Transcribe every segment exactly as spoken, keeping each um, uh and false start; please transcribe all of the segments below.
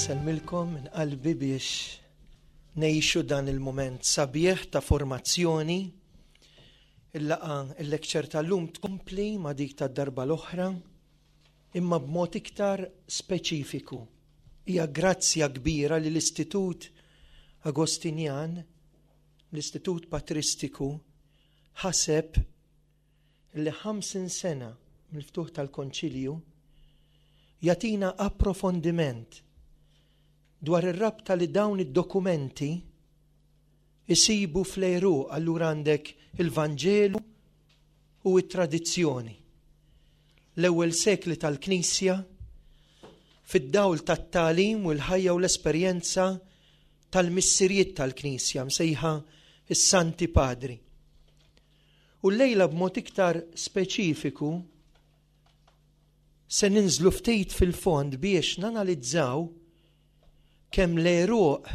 Insellmilkom minn qalbi biex ngħixu dan il-moment sabiħ ta' formazzjoni. Il-laqgħa, il-lecture tal-lum tkompli ma' dik tad-darba l-oħra, imma b'mod iktar speċifiku. Hija grazzja kbira li l-Istitut Agostinjan, l-Istitut Patristiku, ħaseb li ħamsin sena mill-ftuħ tal-Konċilju jagħtina approfondiment dwar ir-rabta li dawn id-dokumenti isibu fl-għeruq. Allura għandek il-Vanġelu u t-tradizzjoni. L-ewwel sekli tal-Knisja fid-dawl tat-tagħlim u l-ħajja u l-esperjenza tal-missirijiet tal-Knisja msejħa is-Santi Padri. U llejla b'mod iktar speċifiku se ninżlu ftit fil-fond biex nanalizzaw kemm l-għeruq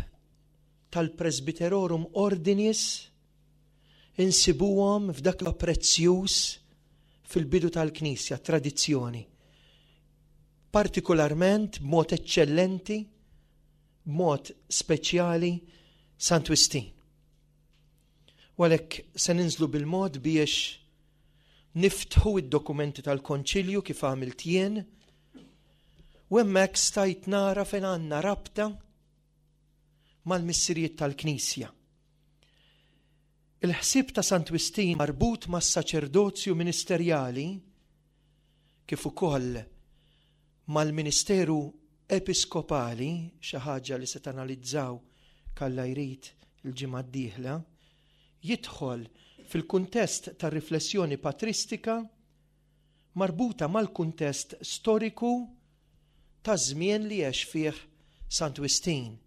tal-Presbyterorum Ordinis insibuhom f'dak li prezzjuż fil-bidu tal-Knisja, tradizzjoni. Partikolarment b'mod eċċellenti, b'mod speċjali Sant Wistin. U għalhekk se ninżlu bil-mod biex niftħu id-dokumenti tal-Konċilju kif għamilt jien, u hemmhekk stajt nara fejn għandna rabta mal-missirijiet tal-Knisja. Il-ħsieb ta' Sant Wistin marbut mas-saċerdozju ministerjali kif ukoll mal-ministeru episkopali, xi ħaġa li se tanalizzaw kalla jrid il-ġimgħa d-dieħla, jidħol fil-kuntest tar-riflessjoni patristika marbuta mal-kuntest storiku ta' żmien li għex fih Sant Wistin.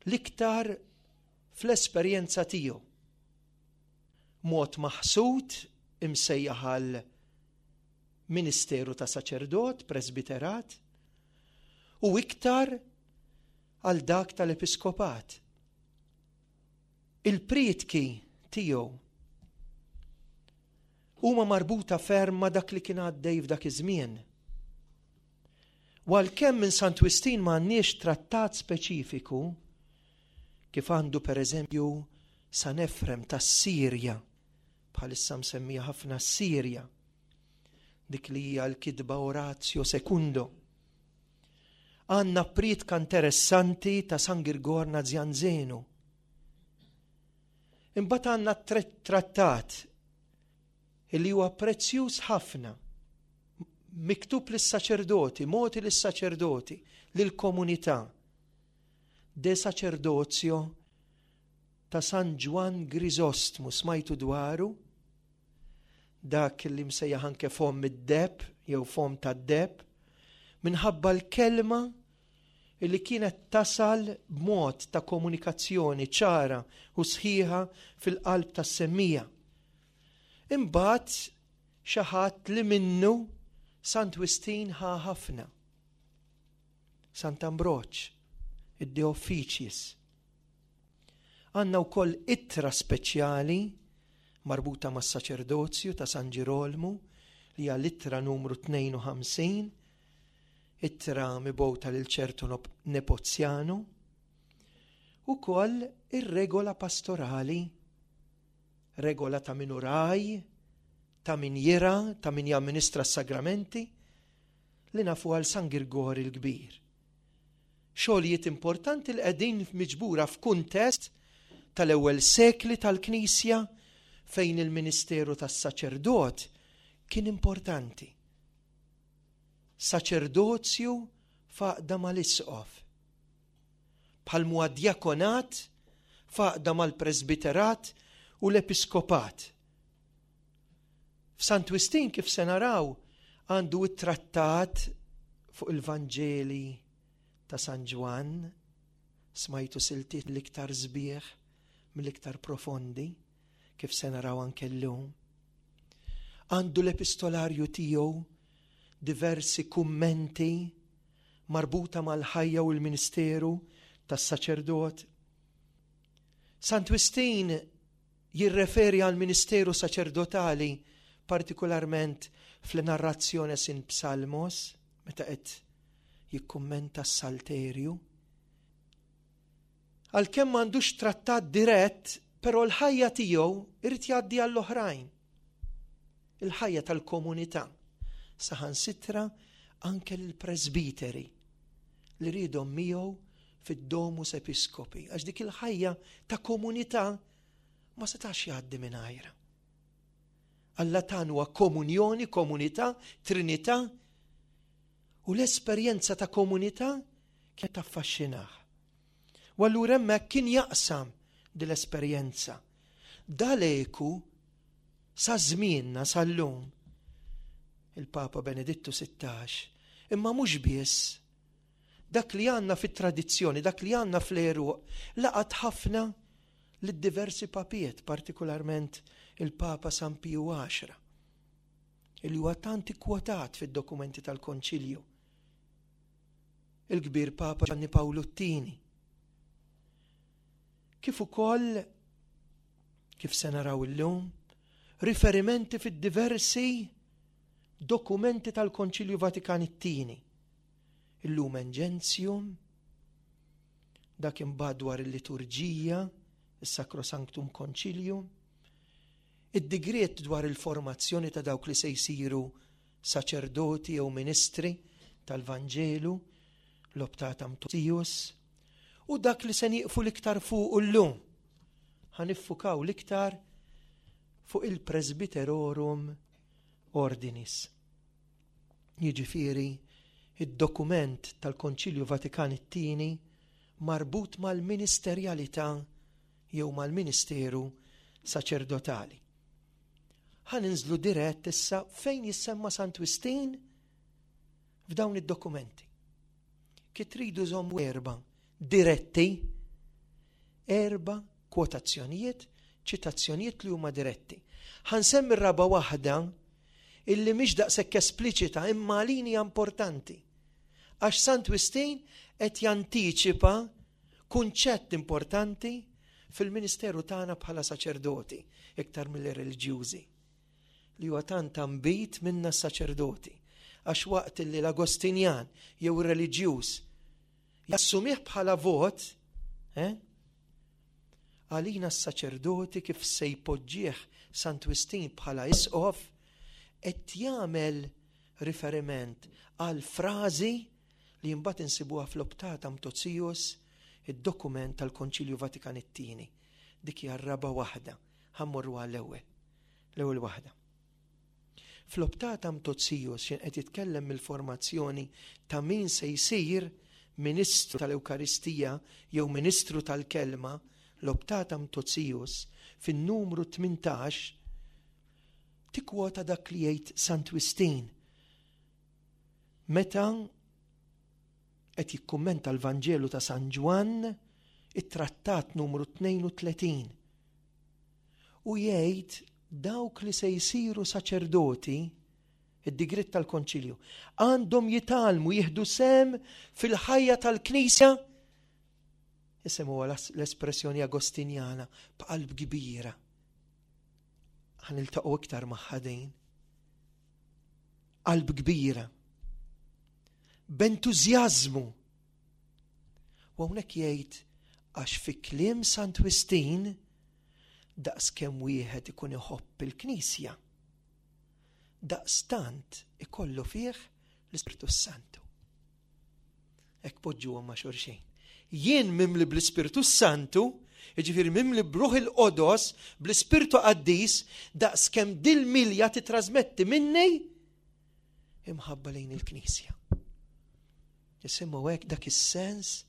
L-iktar fl-esperjenza tiegħu. Mod maħsud imsejjaħ għal ministeru ta' saċerdot, presbiterat, u iktar għal dak tal-episkopat. Il-prietki tiegħu huma marbuta ferm ma' dak li kien għaddej f'dak iż-żmien. U għalkemm minn Sant Wistin ma għandniex trattat speċifiku, kif għandu per eżempju San Efrem tas-Sirja, bħalissa msemmija ħafna s-Sirja, dik li hija l-kitba Oratio Secundo. Għandna prietka interessanti ta' San Girgor Nazianzenu. Imbagħad għandna trattat illi huwa prezzjuż ħafna, miktub lis-saċerdoti, mogħti lis-saċerdoti, lill-komunità. De Sacerdotio ta' San Ġwann Grisostmu, smajtu dwaru? Dak li msejjaħ anke fomm id-deheb jew fomm tad-deheb, minħabba l-kelma li kienet tasal b'mod ta' komunikazzjoni ċara u sħiħa fil-qalb tas-semmija. Imbagħad xi ħadd li minnu Sant Wistin ħa ħafna. Sant Ambroġ, id-De Officiis. Għandna wkoll ittra speċjali marbuta mas-saċerdozju ta' San Ġirolmu li hija l-ittra numru tnejn u ħamsin, ittra mibgħuta lil ċertu Nepozjanu, ukoll ir-regola pastorali, regola ta' min hu ragħaj, ta' min jira, ta' min jamministra s-sagramenti, li nafu għal San Girgor il-Kbir. Xogħlijiet importanti li qegħdin miġbura f'kuntest tal-ewwel sekli tal-Knisja fejn il-ministeru tas-saċerdot kien importanti. Saċerdozju f'għaqda mal-isqof, bħal huwa djakonat f'għaqda mal-presbiterat u l-episkopat. F'Sant Wistin, kif se naraw, għandu it-trattat fuq il-Vanġeli ta' San Ġwann, smajtu siltiet l-iktar sbieħ mill-iktar profondi, kif se naraw anke llum. Għandu l-epistolarju tiegħu, diversi kummenti marbuta mal-ħajja u l-ministeru tas-saċerdot. Sant Wistin jirreferi għal ministeru saċerdotali partikolarment fl-narrazzjoni sin Psalmos, meta qed jikkummenta s-Salterju. Għalkemm m'għandux trattat dirett, però l-ħajja tiegħu irid jgħaddi għall-oħrajn. Il-ħajja tal-komunità, saħansitra anke l-presbiteri li riedhom miegħu fid-Domus Episcopi, għax dik il-ħajja ta' komunità ma setax jgħaddi mingħajrha. Alla tagħna huwa komunjoni, komunità, trinità, u l-esperjenza ta' komunità kienet taffaxxinah. U allura hemmhekk kien jaqsam din l-esperjenza. Dal-eku sa żmienna sal-lum il-Papa Benedittu Sittax, imma mhux biss dak li għandna fit-tradizzjoni, dak li għandna fl-għeruq, laqat ħafna lid-diversi papiet, partikolarment il-Papa San Piju Għaxra, illi huwa tant ikkwotat fid-dokumenti tal-Konċilju. Il-kbir Papa Ġanni Pawlu t-Tieni. Kif ukoll, kif se naraw illum, riferimenti fid-diversi dokumenti tal-Konċilju Vatikan it-Tieni. Il-Lumen Gentium, dak imbagħad dwar il-liturġija, il-Sacrosanctum Concilium, id-digriet dwar il-formazzjoni ta' dawk li se jsiru saċerdoti jew ministri tal-Vanġelu, l-Optatam Totius, u dak li se nieqfu l-iktar fuq llum. Ħa niffukaw l-iktar fuq il-Presbyterorum Ordinis. Jiġifieri id-dokument tal-Konċilju Vatikan it-Tieni marbut mal-ministerjalità jew mal-ministeru saċerdotali. Ħa ninżlu dirett issa fejn jissemma Sant Wistin f'dawn id-dokumenti. Kif tridu żommu erba diretti, erba kwotazzjonijiet, ċitazzjonijiet li huma diretti. Ħa nsemmi r-raba waħda illi mhix daqshekk espliċita imma għalina importanti. Għax Sant Wistin qed jantiċipa kunċett importanti fil-ministeru tagħna bħala saċerdoti, iktar mill-reliġjużi, li huwa tant ambit minna s-saċerdoti. Għax waqt li l-Agostinjan jew ir-reliġjuż jassumih bħala vot, eh? Għalina s-saċerdoti kif se jpoġġih Sant Wistin bħala isqof, qed jagħmel riferiment għal frażi li mbagħad insibuha fl-Optatam Totius, id-dokument tal-Konċilju Vatikan it-Tieni. Dik hija r-raba waħda, ħa mmorru għall-ewwel. L-ewwel waħda. Fl-Optatam Totius x'ħin qed jitkellem mill-formazzjoni ta' min se jsir ministru tal-Ewkaristija jew ministru tal-Kelma, l-Optatam Totius fin-numru tmintax tikkwota dak li jgħid Sant Wistin. Meta qed jikkummenta l-Vanġelu ta' San Ġwann, it-trattat numru tnejn u tletin. U jgħid dawk li se jsiru saċerdoti, id-digriet tal-Konċilju, għandhom jitgħallmu jieħdu sem fil-ħajja tal-Knisja, isemmuha l-espressjoni agostinjana, b'qalb kbira. Ħa niltaqgħu iktar magħha din. Qalb kbira. B'entużjażmu. U hawnhekk jgħid għax fi kliem Sant Wistin daqs kemm wieħed ikun iħobb il-Knisja, daqstant ikollu fih l-Ispirtu Santu. Hekk poġġuhom ma' xulxin. Jien mimli bl-Ispirtu Santu, jiġifieri mimli b'Ruħ il-Qodos, bl-Ispirtu Qaddis, daqs kemm dil-milja titrasmetti minni imħabba lejn il-Knisja. Jisimgħu hekk dak is-sens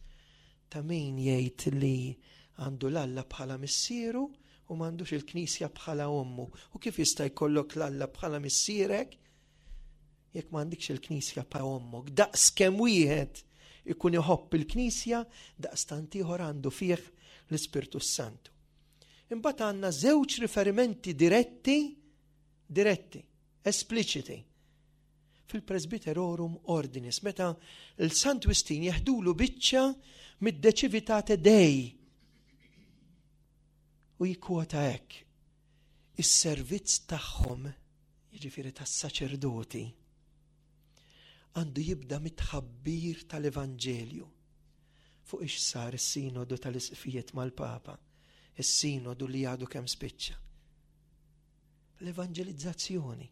ta' min jgħid li għandu l-Alla bħala missieru u m'għandux il-Knisja bħala ommu. U kif jista' jkollok l-Alla bħala missierek jekk m'għandikx il-Knisja bħala ommok? Daqs kemm wieħed ikun iħobb il-Knisja, daqs tant ieħor għandu fih l-Ispirtu Santu. Imbagħad għandna żewġ riferimenti diretti, diretti, espliċiti, fil-Presbyterorum Ordinis, meta l-Sant Wistin jeħdulu biċċa mid-De Civitate Dei. U jikkwota hekk, is-servizz tagħhom, jiġifieri tas-saċerdoti, Għandu jibda mit-tħabbir tal-Evanġelju. Fuq ix sar is-sinodu tal-isqfijiet mal-Papa, is-sinodu li għadu kemm spiċċa. L-evanġelizzazzjoni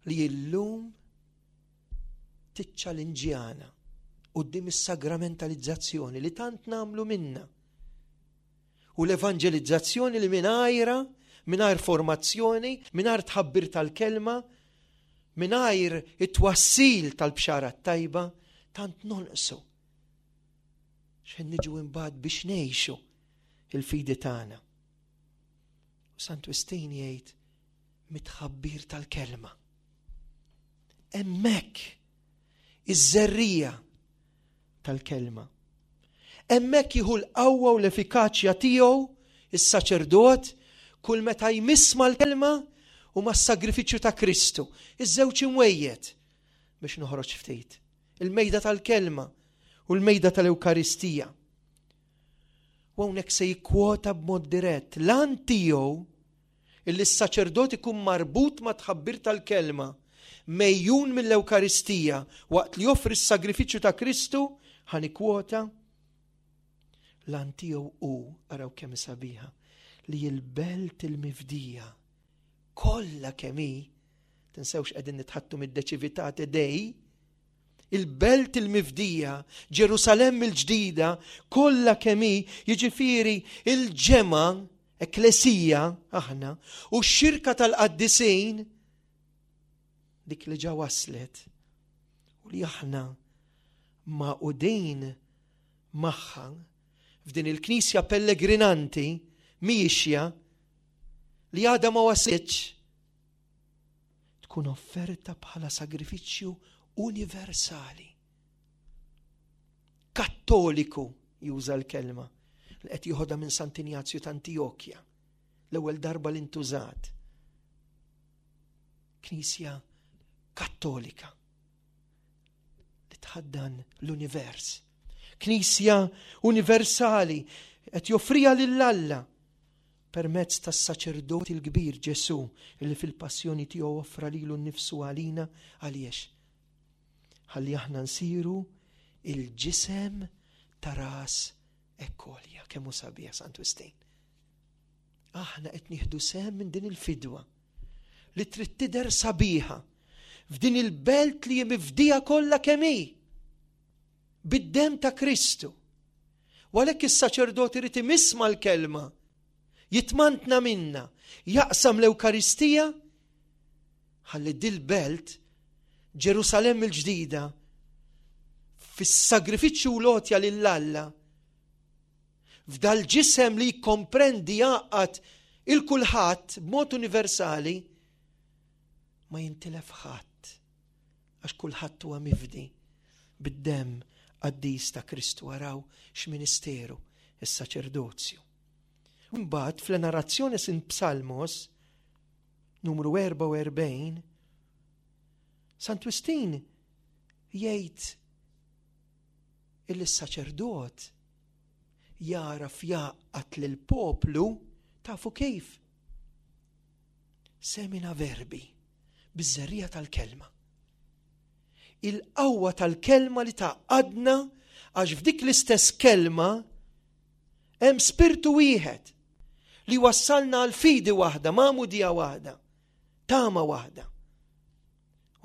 li illum tiċċalinġjana quddiem is-sagramentalizzazzjoni li tant nagħmlu minna. U l-evanġelizzazzjoni li mingħajra, mingħajr formazzjoni, mingħajr tħabbir tal-kelma, mingħajr it-twassil tal-bxara tajba, tant nonqsu. X'ħin niġu imbagħad biex ngħixu il-fidi tagħna. U Sant Wistin jgħid mit-tħabbir tal-kelma. Hemmhekk iż-żerrija tal-kelma. Hemmhekk jieħu l-qawwa u l-effikaċja tiegħu is-saċerdot kull meta jmiss mal-kelma u mas-sagrifiċċju ta' Kristu. Iż-żewġ imwejjed biex noħroġ ftit. Il-mejda tal-kelma u l-mejda tal-Ewkaristija. U hawnhekk se jikkwota b'mod dirett l-għan tiegħu illi s-saċerdot ikun marbut ma' tħabbir tal-kelma mejjun mill-Ewkaristija waqt li joffri s-sagrifiċċju ta' Kristu, ħa nikkwota l-għan tiegħu hu, araw kemm sabiħa, li l-belt il-mifdija kollha kemm hi, tinsewx qegħdin nitħattu mid-De Civitate Dei, il-belt il-mifdija, Ġerusalemm il-ġdida, kollha kemm hi, jiġifieri il-ġemgħa, ekklesija aħna, u x-xirka tal-qaddisin, dik li ġa waslet, u li aħna magħqudin magħha f'din il-knisja pellegrinanti miexja li għadha ma waslitx, tkun offerta bħala sagrifiċċju universali. Kattoliku juża l-kelma li qed jieħodha minn Sant'Injazju ta' Antijokja, l-ewwel darba li ntużat. Knisja kattolika li tħaddan l-univers. Knisja universali qed joffriha lil Alla permezz tas-saċerdoti l-kbir Ġesu li fil-passjoni tiegħu offra lilu nnifsu għalina. Għaliex? Ħalli aħna nsiru il-ġisem ta' ras ekkolja. Kemm hu sabiħ Sant Wistin. Aħna qed nieħdu sehem minn din il-fidwa li trid tidher sabiħa f'din il-belt li hi mifdija kollha kemm hi bid-dem ta' Kristu. U għalhekk is-saċerdoti irid imiss mal-kelma, jitmantna minna, jaqsam l-Ewkaristija, ħalli dil-belt Ġerusalemm il-ġdida fis-sagrifiċċju u l-għotja lil Alla f'dal-ġisem li jikkomprendi jgħaqqad il-kulħadd b'mod universali ma jintilef ħadd, għax kulħadd huwa mifdi bid-demm qaddis ta' Kristu. Araw x'ministeru is-saċerdozju. Mbagħad fl-Enarrationes in Psalmos numru erbgħa u erbgħin Sant Wistin jgħid illi s-saċerdot jaraf jgħaqqad lill-poplu, tafu kif? Semina verbi, biż-żerriegħa tal-kelma. Il-qawwa tal-kelma li tgħaqqadna, għax f'dik l-istess kelma hemm spirtu wieħed li wassalna għal fidi waħda, magħmudija waħda, tama waħda.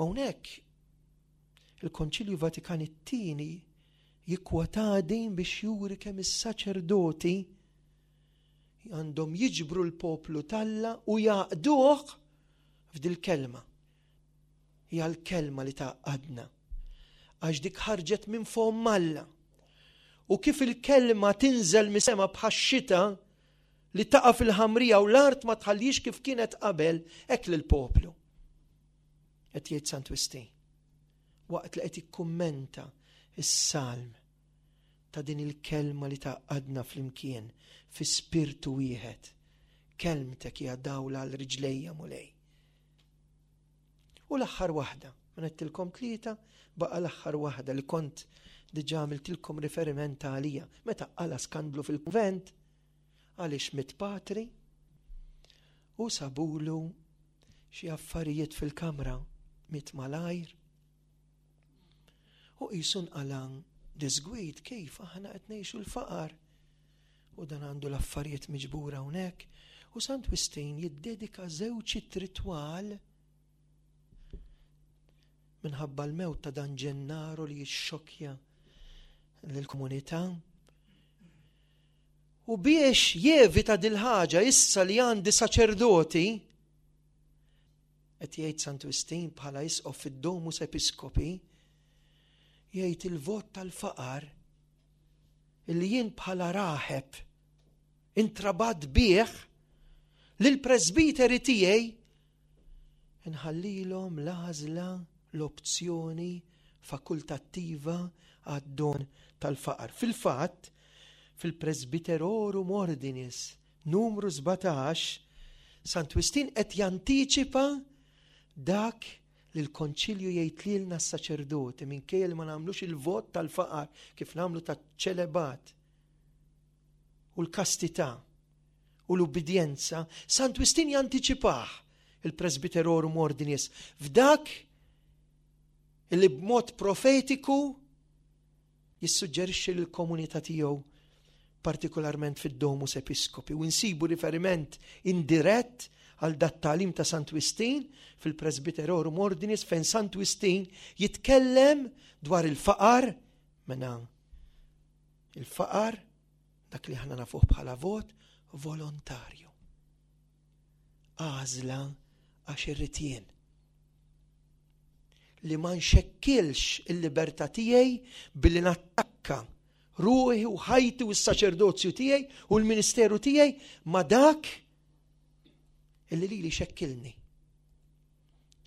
U hawnhekk il-Konċilju Vatikan it-tieni jikkwota din biex juri kemm is-saċerdoti għandhom jiġbru l-poplu t'Alla u jgħaqqduh f'dil-kelma. Hija l-kelma li tgħaqqadna, għax dik ħarġet minn fomm Alla. U kif il-kelma tinżel mis-sema bħax-xita li taqa' fil-ħamrija u l-art ma tħallix kif kienet qabel, hekk lill-poplu. Qed jgħid Sant Wistin waqt li qed jikkummenta is-salm ta' din il-kelma li tgħaqqadna flimkien fi spirtu wieħed. Kelmtek hija dawla għal riġlejja, Mulej. U l-aħħar waħda, ma għedtilkom tlieta, baqa l-aħħar waħda li kont diġà għamiltilkom riferiment għalija. Meta qala skandlu fil-kunvent, għaliex miet patri u sabulu xi affarijiet fil-kamra, miet malajr. U qisu nqala' diżgwid kif aħna qed ngħixu l-faqar. U dan għandu l-affarijiet miġbura hawnhekk. U Sant Wistin jiddedika żewġ ittri twal minħabba l-mewt ta' dan Ġennaro li jixxokja lill-komunità. U biex jevita dil-ħaġa issa li għandi saċerdoti, qed jgħid Sant Wistin bħala isqof fid-Domus Episcopi, jgħid il-vot tal-faqar illi jien bħala raħeb intrabat bih lill-presbiteri tiegħi nħallilhom l-għażla, l-opzjoni fakultattiva għad-don tal-faqar. Fil-fatt, fil-Presbyterorum Ordinis numru sbatax, Sant Wistin qed jantiċipa dak li l-konċilju jgħid lilna s-saċerdoti minkejja li ma nagħmlux il-vot tal-faqar kif nagħmlu taċ-ċelebat u l-kastità u l-ubbidjenza, Sant Wistin jantiċipah il-Presbyterorum Ordinis f'dak li b'mod profetiku jissuġġerixxi lill-komunità tiegħu, partikolarment fid-Domus Episcopi, u nsibu riferiment indirett għal dat tagħlim ta' Sant Wistin fil-Presbyterorum Ordinis fejn Sant Wistin jitkellem dwar il-faqar, mena il-faqar dak li aħna nafuh bħala vot volontarju. Għażla għax irrid jien. Li ma nxekkilx il-libertà tiegħi billi nattakka ruħi u ħajti u s-saċerdozju tiegħi u l-ministeru tiegħi ma dak illi lili xekkilni.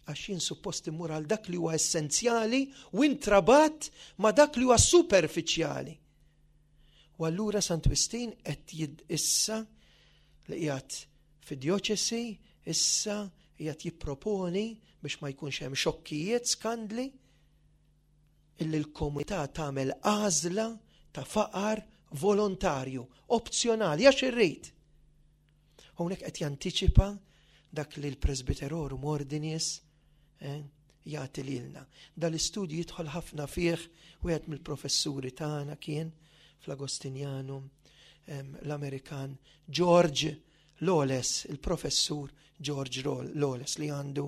Għax jien suppost immur għal dak li huwa essenzjali u intrabat ma dak li huwa superfiċjali. U allura Sant Wistin qed jid issa li qiegħed fid-djoċesi, issa qiegħed jipproponi biex ma jkunx hemm xokkijiet, skandli, illi l-komunità tagħmel għażla ta' faqar volontarju, opzjonali, għax irrid. Hawnhekk qed jantiċipa dak li l-Presbyterorum Ordinis, eh, jagħti lilna. Dal-istudju jidħol ħafna fih wieħed mill-professuri tagħna kien fl-Agostinjanum, em, l-Amerikan George Lawless, il-professur George Lawless li għandu,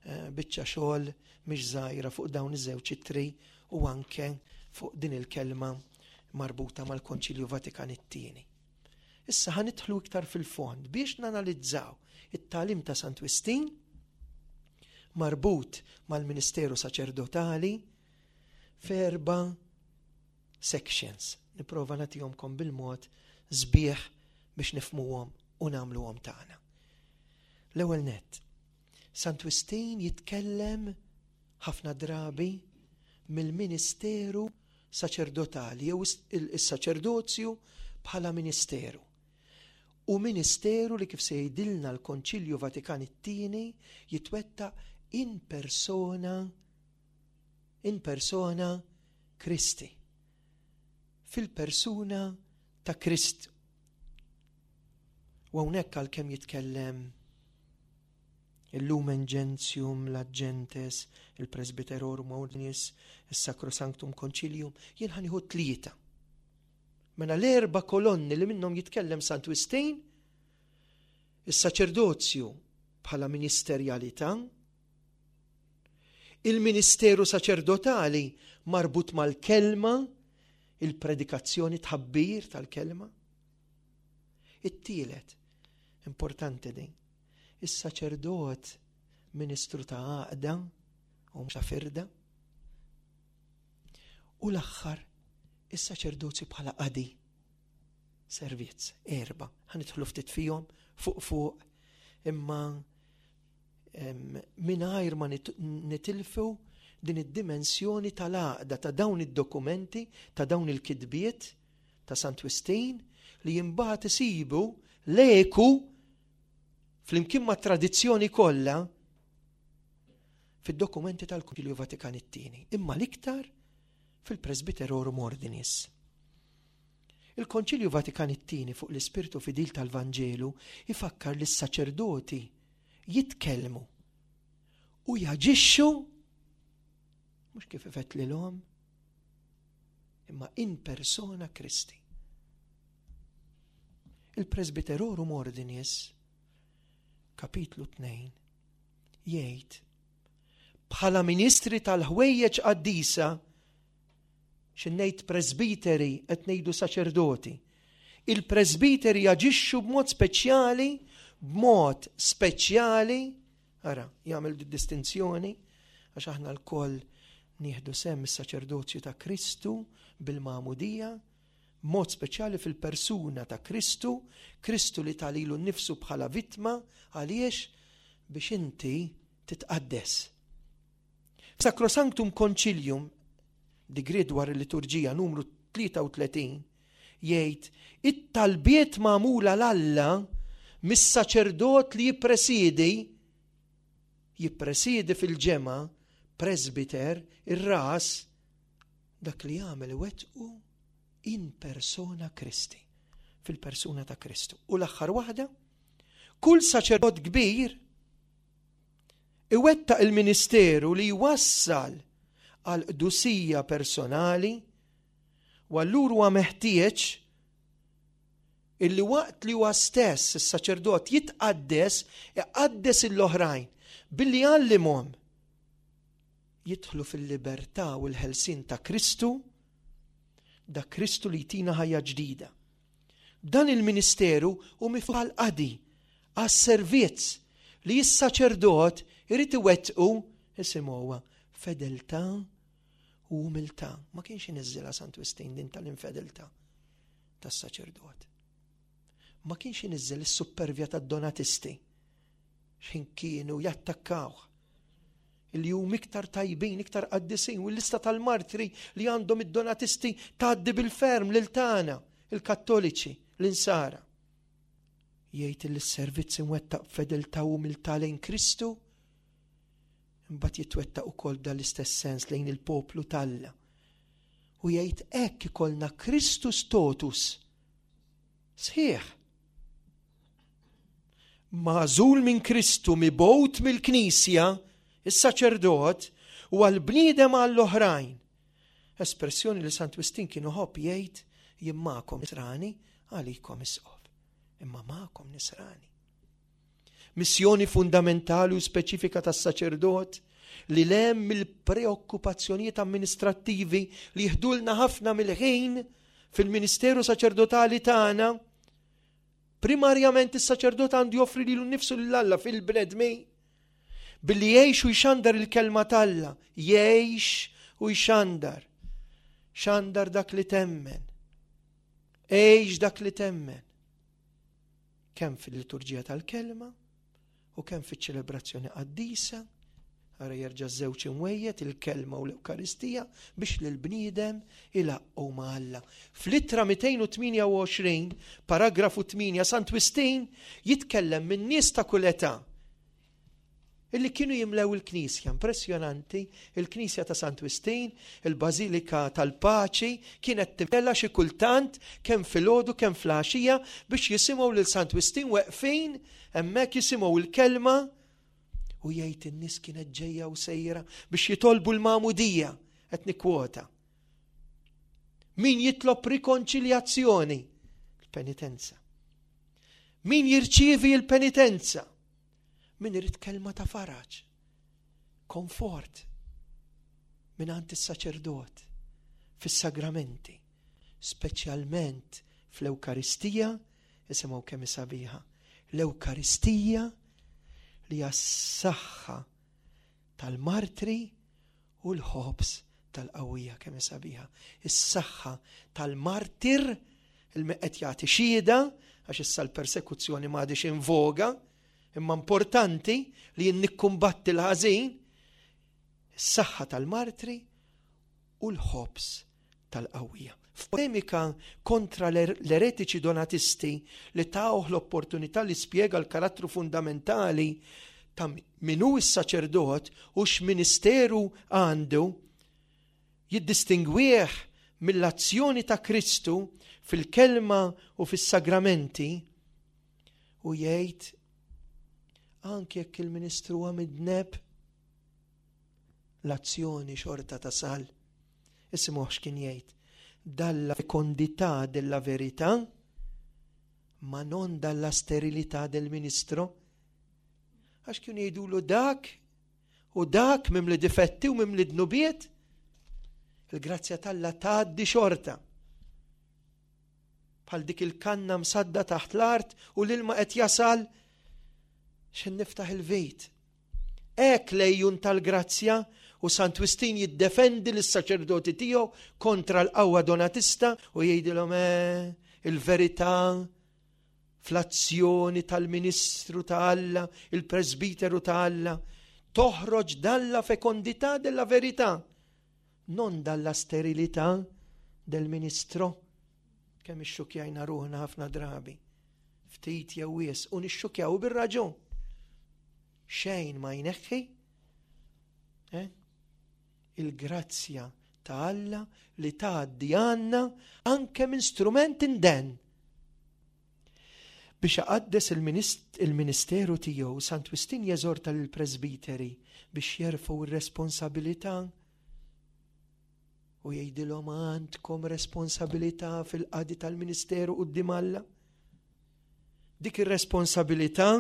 eh, biċċa xogħol mhix żgħira fuq dawn iż-żewġ ittri u anke fuq din il-kelma marbuta mal-Konċilju Vatikan it-tieni. Issa ħa nidħlu iktar fil-fond biex nanalizzaw it-tagħlim ta' Sant Wistin marbut mal-Ministeru Saċerdotali f'erba' sections. Nipprova nagħtihomkom bil-mod sbieħ biex nifhmuhom u nagħmluhom tagħna. L-ewwel nett, Sant Wistin jitkellem ħafna drabi mill-Ministeru Saċerdotali jew is-saċerdozju bħala ministeru. U ministeru li kif se jgħidilna l-Konċilju Vatikan it-tieni jitwettaq in persona, in persona Christi. Fil-persuna ta' Kristu. U hawnhekk għalkemm jitkellem il-Lumen Gentium, l Gentes, il-Presbyterorum Ordinis, il-Sacrosanctum Concilium, jien ħa nieħu tlieta. Mela l-erba' kolonni li minnhom jitkellem Sant Wistin, is-saċerdozju bħala ministerjalità, il-ministeru saċerdotali marbut mal-kelma, il-predikazzjoni tħabbir tal-kelma. It-tielet, importanti din, is-saċerdot ministru ta' għaqda u mhux ta' firda. U l-aħħar, is-saċerdozju bħala qadi, servizz, erba'. Ħa nidħlu ftit fihom fuq fuq, imma, em, mingħajr ma nit-, nitilfu din id-dimensjoni tal-għaqda ta' dawn id-dokumenti, ta' dawn il-kitbiet ta' Sant Wistin li imbagħad isibu l-eku flimkien ma' tradizzjoni kollha fid-dokumenti tal-Konċilju Vatikan it-tieni, imma l-iktar fil-Presbyterorum Ordinis. Il-Konċilju Vatikan it-tieni fuq l-Ispirtu Fidil tal-Vanġelu ifakkar li s-saċerdoti jitkellmu u jaġixxu mhux kif ifettlilhom, Imma in persona Christi. Il-Presbyterorum Ordinis, kapitlu tnejn, jgħid bħala ministri tal-ħwejjeġ qaddisa, x'ngħid presbiteri qed ngħidu saċerdoti. Il-presbiteri jaġixxu b'mod speċjali, b'mod speċjali, ara, jagħmel distinzjoni għax aħna lkoll nieħdu sehem is-saċerdozju ta' Kristu bil-magħmudija, mod speċjali fil-persuna ta' Kristu, Kristu li ta lilu nnifsu bħala vittma għaliex biex inti titqaddes. Sacrosanctum Concilium, digriet dwar il-liturġija numru tlieta u tletin, jgħid it-talbiet magħmula 'l Alla mis-saċerdot li jippresidi, jippresidi fil-ġemgħa, presbiter, ir-ras, dak li jagħmel iwettqu in persona Christi, fil-persuna ta' Kristu. U l-aħħar waħda, kull saċerdot kbir iwettaq il-ministeru li jwassal għal qdusija personali, u allura huwa meħtieġ illi waqt li huwa stess is-saċerdot jitqaddes, iqaddes l-oħrajn billi jgħallimhom jidħlu fil-libertà u l-ħelsien ta' Kristu, da Kristu li jtina ħajja ġdida. Dan il-ministeru hu miftuħ għall-qadi, għas-servizz li s-saċerdot irid iwettqu, isimgħuha, fedeltà u umiltà. Ma kienx iniżżilha Sant Wistin din tal-infedeltà tas-saċerdot. Ma kienx iniżżel is-supervja tad-donatisti x'ħin kienu jattakkawh. Il hum iktar tajbin, iktar qaddisin, u l-lista tal-martri li għandhom id-donatisti tgħaddi bil-ferm lil tagħna, il-Kattoliċi, l-Insara. Jgħid li s-servizz imwettaq b'fedeltà u umiltà lejn Kristu, imbagħad jitwettaq ukoll dan l-istess sens lejn il-poplu t'Alla. U jgħid hekk ikollna Christus totus sħiħ. Magħżul minn Kristu, mibgħut mill-Knisja, is-saċerdot, u għal-bniedem għall-oħrajn. Espressjoni li Sant Wistin kienu ħobb jgħid, jien magħkom nisrani, għalikom isqof. Imma magħkom nisrani. Missjoni fundamentali u speċifika tas-saċerdot li lem mill-preokkupazzjonijiet amministrattivi li jiħdulna ħafna mill-ħin fil-ministeru saċerdotali tagħna. Primarjament is-saċerdot għandu joffri lilu nnifsu lil Alla fil-bnedmin billi jgħix u jxandar il-kelma t'Alla, jgħix u jxandar. Xandar dak li temmen. Għix dak li temmen. Kemm fil-liturġija tal-kelma u kemm fiċ-ċelebrazzjoni qaddisa, ara jerġa' żewġ imwejjed, il-kelma u l-Ewkaristija, biex lill-bniedem ilaqqgħu ma' Alla. Fl-ittra mitejn u tmienja u għoxrin, paragrafu tmienja, Sant Wistin jitkellem minn nies ta' kull età illi kienu jimlew il-knisja. Impressjonanti, il-knisja ta' Sant Wistin, il-Bażilika tal-Paċi, kienet timtela xi kultant kemm filgħodu kemm fl-għaxija biex jisimgħu lil Sant Wistin weqfin hemmhekk jisimgħu l-kelma, u jgħid in-nies kienet ġejja u sejra biex jitolbu l-magħmudija, qed nikkwota. Min jitlob rikonċiljazzjoni? Il-penitenza. Min jirċievi l-penitenza? Min irid kelma ta' faraġ, komfort minn għand is-saċerdot fis-sagramenti, speċjalment fl-Ewkaristija, isimgħu kemm sabiħa, l-Ewkaristija li hija s-saħħa tal-martri u l-ħobż tal-qawwija, kemm sabiħa. Is-saħħa tal-martir il qed jagħti xhieda, għax issa l-persekuzzjoni m'għadix in voga, imma importanti li jien nikkumbatti l-ħażin, is-saħħa tal-martri u l-ħobż tal-qawwija. F'polemika kontra l-er-, l-eretiċi donatisti li tawh l-opportunità li spjega l-karattru fundamentali ta' min hu s-saċerdot u x'ministeru għandu, jiddistingwih mill-azzjoni ta' Kristu fil-kelma u fis-sagramenti, u jgħid anke jekk il-ministru huwa midneb, l-azzjoni xorta tasal. Isimgħu x'kien jgħid. dalla fecondità della verità, ma non dalla sterilità del ministro. Għax kienu jgħidulu dak u dak mimli difetti u mimli dnubiet, il-grazzja t'Alla tgħaddi xorta. Bħal dik il-kanna msadda taħt l-art u l-ilma qed jasal x'ħin niftaħ il-vit. Hekk l-għejun tal-grazzja, u Sant Wistin jiddefendi lis-saċerdoti tiegħu kontra l-qawwa donatista u jgħidilhom eh, il-verità fl-azzjoni tal-ministru ta' Alla, il-presbiteru ta' Alla, toħroġ dalla fecondità della verità, non dalla sterilità del ministro. Kemm ixxukjajna ruħna ħafna drabi, ftit jew wisq, u nixxukjaw bir-raġun. Xejn ma jneħħi eh? il-grazzja ta' Alla li tgħaddi għandna anke minn strument inden. Biex iqaddes il-ministeru tiegħu, Sant Wistin jeżorta lill-presbiteri biex jerfgħu ir-responsabilità u jgħidilhom għandkom responsabilità fil-qadi tal-ministeru quddiem Alla. Dik ir-responsabilità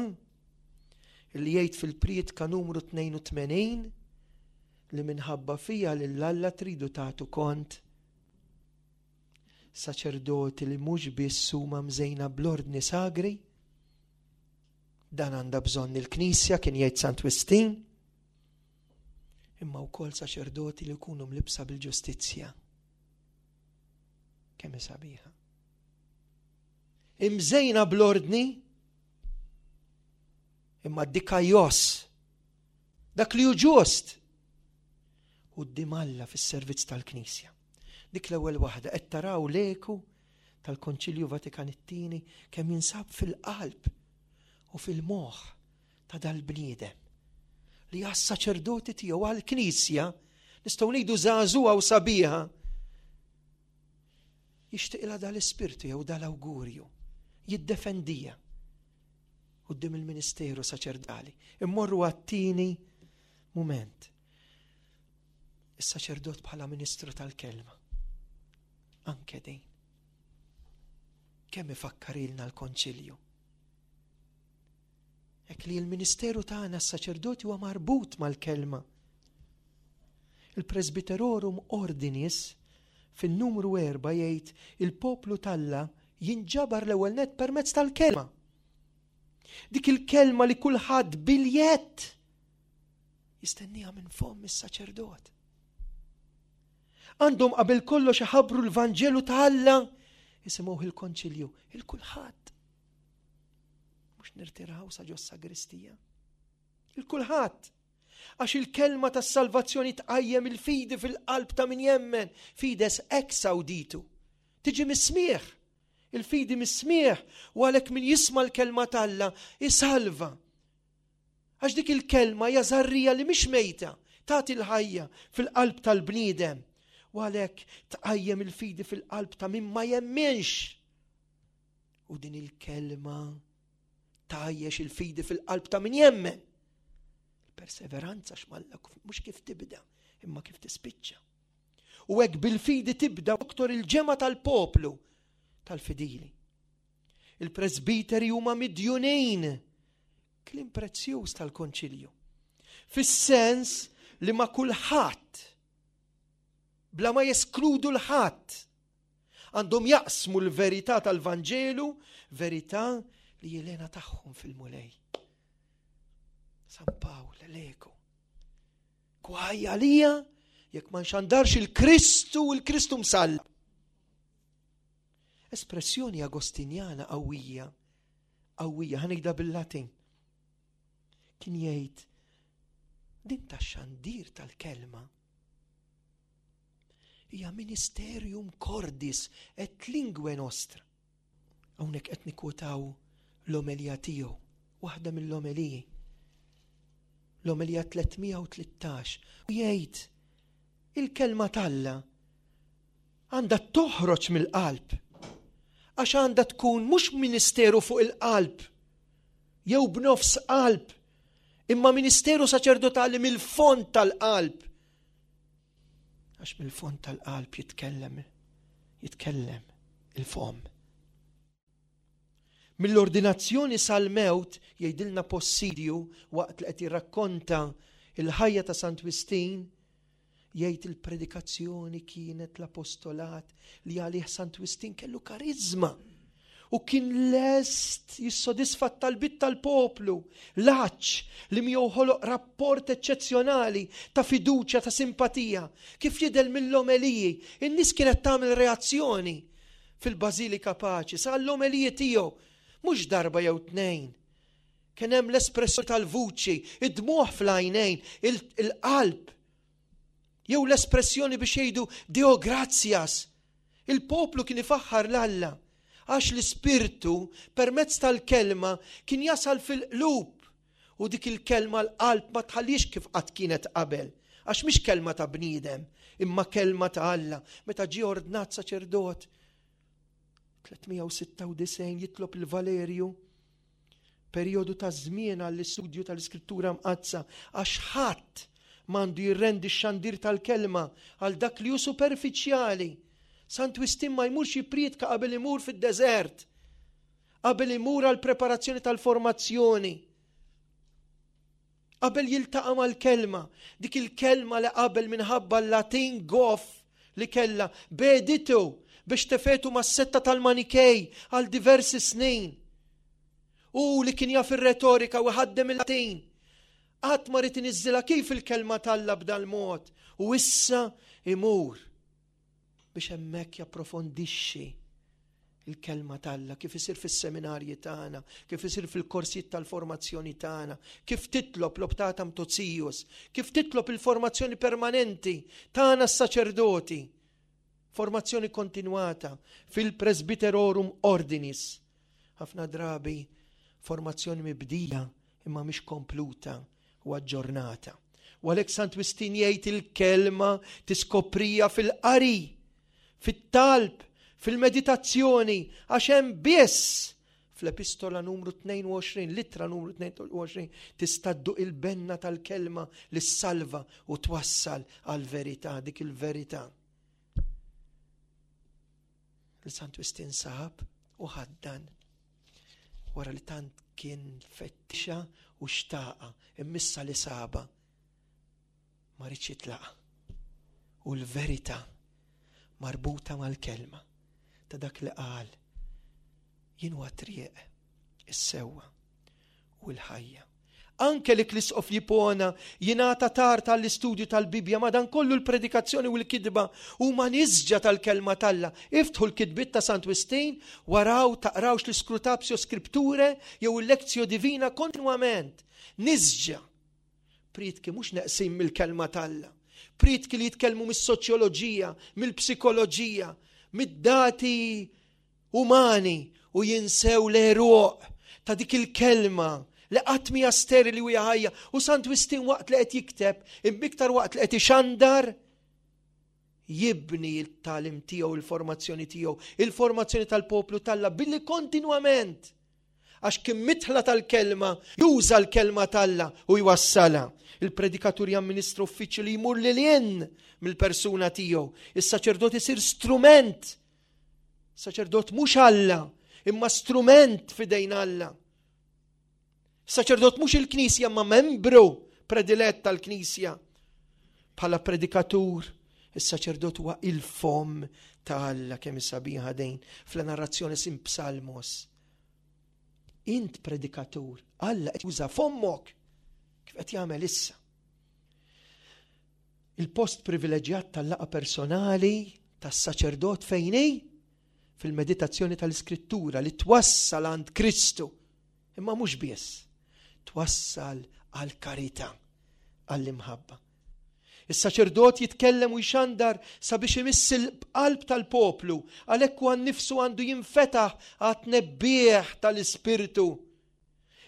li jgħid fil-prietka numru tnejn u tmenin li minħabba fija lil Alla tridu tagħtu kont. Saċerdoti li mhux biss huma mżejna bl-ordni sagri, dan għandha bżonn il-Knisja, kien jgħid Sant Wistin, imma wkoll saċerdoti li jkunu mlibsa bil-ġustizzja. Kemm sabiħa. Imżejna bl-ordni, imma dikaios, dak li hu ġust, quddiem Alla fis-servizz tal-Knisja. Dik l-ewwel waħda. Qed taraw l-eku tal-Konċilju Vatikan it-Tieni kemm jinsab fil-qalb u fil-moħħ ta' dal-bniedem li għas-saċerdoti tiegħu, għall-Knisja, nistgħu ngħidu żagħżugħa u sabiħa, jixtieqilha dal-ispirtu jew dal-awgurju, jiddefendija quddiem il-ministeru saċerdali. Immorru għat-tieni mument. Is-saċerdot bħala ministru tal-kelma. Anke din. Kemm ifakkarilna l-konċilju. Hekk li l-ministeru tagħna s-saċerdoti huwa marbut mal-kelma. Il-Presbyterorum Ordinis fin-numru erba' jgħid il-poplu t'Alla jinġabar l-ewwel net permezz tal-kelma. Dik il-kelma li kulħadd biljett jistenniha minn fomm is-saċerdot. Għandhom qabel kollox iħabbru l-Vanġelu ta' Alla, jisimgħu il-konċilju, il-kulħadd. Mhux nirtiraw sa ġo sagristija. Il-kulħadd. Għax il-kelma tas salvazzjoni tqajjem il-fidi fil-qalb ta' min jemmen, fides ex auditu. Tiġi mis-smigħ. Il-fidi mis-smigħ, u għalhekk min jisma' l-kelma t'Alla isalva. Għax dik il-kelma hija żarrija li mhix mejta, tagħti l-ħajja fil-qalb tal-bniedem. U għalhekk tqajjem il-fidi fil-qalb ta' min ma jemminx. U din il-kelma tgħajjex il-fidi fil-qalb ta' min jemmen. Il-perseveranza x'malla mhux kif tibda, imma kif tispiċċa. U hekk bil-fidi tibda aktar il-ġemgħa tal-poplu tal-fidili. Il-presbiteri huma midjunin, kliem prezzjuż tal-konċilju. Fis-sens li ma' kulħadd, bla ma jeskludu l-ħadd, għandhom jaqsmu l-verità tal-Vanġelu, verità li jelena tagħhom fil-Mulej. San Pawl, l-eku. Gwaj għalija jekk ma nxandarx il-Kristu, il-Kristu msallab. Espressjoni agostinjana qawwija, qawwija, ħa ngħidha bil-Latin. Kien jgħid din ta' xandir tal-kelma hija ministerium cordis et linguae nostra. Hawnhekk qed nikwotaw l-omelja tiegħu, waħda mill-omeliji. L-omelja tliet mija u tlettax. U jgħid il-kelma t'Alla għandha toħroġ mill-qalb. Għax għandha tkun mhux ministeru fuq il-qalb jew b'nofs qalb, imma ministeru saċerdotali mill-fond tal-qalb. Għax mill-fond tal-qalb jitkellem Jitkellem il-fomm. Mill-ordinazzjoni sal-mewt, jgħidilna Possidju waqt li qed jirrakkonta il-ħajja ta' Sant Wistin, jgħid il-predikazzjoni kienet l-apostolat li għalih Sant Wistin kellu karizma u kien lest jissodisfa t-talbit tal-poplu, l-għatx li miegħu ħoloq rapport eċċezzjonali ta' fiduċja, ta' simpatija, kif jidher mill-omeliji. In-nies kienet tagħmel reazzjoni fil-Bażilika Paċi, sa l-omeliji tiegħu, mhux darba jew tnejn. Kien hemm l-espressjoni tal-vuċi, id-dmuħ fl-għajnejn, il-qalb, jew l-espressjoni biex jgħidu "Deo gratias". Il-poplu kien ifaħħar 'l Alla għax l-ispirtu permezz tal-kelma kien jasal fil-qlub u dik il-kelma l-qalb ma tħallix kif qatt kienet qabel, għax mhix kelma ta' bniedem, imma kelma ta' Alla. Meta ġie ordnat saċerdot tliet mija u sitta u disgħin, jitlob il-Valerju perjodu ta' żmien għall-istudju tal-Iskrittura Mqaddsa, għax ħadd m'għandu jirrendi x-xandir tal-kelma għal dak li hu superfiċjali. Sant Wistin ma jmurx jipriedka qabel imur fid-deżert, qabel imur għal preparazzjoni tal-formazzjoni, qabel jiltaqa' mal-kelma, dik il-kelma li qabel, minħabba l-Latin goff li kella, beditu biex tefgħetu mas-setta tal-Manikej għal diversi snin. U li kien jaf ir-retorika u ħaddem il-Latin. Qatt ma ried iniżżilha kif il-kelma t'Alla b'dal-mod. U issa imur biex hemmhekk japprofondixxi il-kelma t'Alla, kif isir fis-seminarji tagħna, kif isir fil-korsijiet tal-formazzjoni tagħna, kif titlob l-Optatam Totius, kif titlob il-formazzjoni permanenti tagħna s-saċerdoti, formazzjoni kontinwata fil-Presbyterorum Ordinis. Ħafna drabi formazzjoni mibdija imma mhix kompluta u aġġornata. U għalhekk Sant Wistin jgħid il-kelma tiskoprija fil-qari, fit-talb, fil-meditazzjoni, għax hemm biss fl-epistola numru tnejn u għoxrin, l-ittra numru tnejn u għoxrin, tista' dduq il-benna tal-kelma li salva u twassal għal-verità, dik il-verità. Il-Sant Wistin sab u ħaddan wara li tant kien fettixa u xtaqa, imma issa li saba ma riedx jitlaqa. U l-verità marbuta mal-kelma ta' dak li qal: "Jien huwa triq, is-sewwa u l-ħajja." Anke li l-isqof Jipona jingħata tard tal-istudju tal-Bibja, ma dan kollu l-predikazzjoni u l-kitba huma nisġa tal-kelma t'Alla. Iftħu l-kitbiet ta' Sant Wistin, waraw taqrawx l-Scrutatio Scripturae jew il-Lectio Divina kontinwament. Nisġa. Priedki mhux neqsin mill-kelma t'Alla. Priedki li jitkellmu mis-soċjoloġija, mill-psikoloġija, mid-dati umani u jinsew l-għeruq ta' dik il-kelma li qatt mhija sterili u ħajja. U Sant Wistin waqt li qed jikteb, imma iktar waqt li qed ixandar, jibni il-tagħlim tiegħu, il-formazzjoni tiegħu, il-formazzjoni tal-poplu t'Alla billi kontinwament, għax kien mitħla tal-kelma, juża l-kelma t'Alla u jwassala. Il-predikatur jamministra uffiċċju li jmur lil hinn mill-persuna tiegħu. Is-saċerdot isir strument. Saċerdot mhux Alla, imma strument f'idejn Alla. Saċerdot mhux il-Knisja, ma membru predilett tal-Knisja. Bħala predikatur, is-saċerdot huwa il-fom ta' Alla. Kemm sabiħa dejn fl-narrazzjoni in Psalmos. Int predikatur, Alla qed juża fommok kif qed jagħmel issa. Il-post privileġġjat tal-laqgħa personali tas-saċerdot fejn hi? Fil-meditazzjoni tal-Iskrittura li twassal għand Kristu. Imma mhux biss, twassal għal karità, għall-imħabba. Is-saċerdot jitkellem u jxandar sabiex imiss il-qalb tal-poplu, għalhekk huwa nnifsu għandu jinfetaħ għat-tnebbieħ tal-Ispirtu.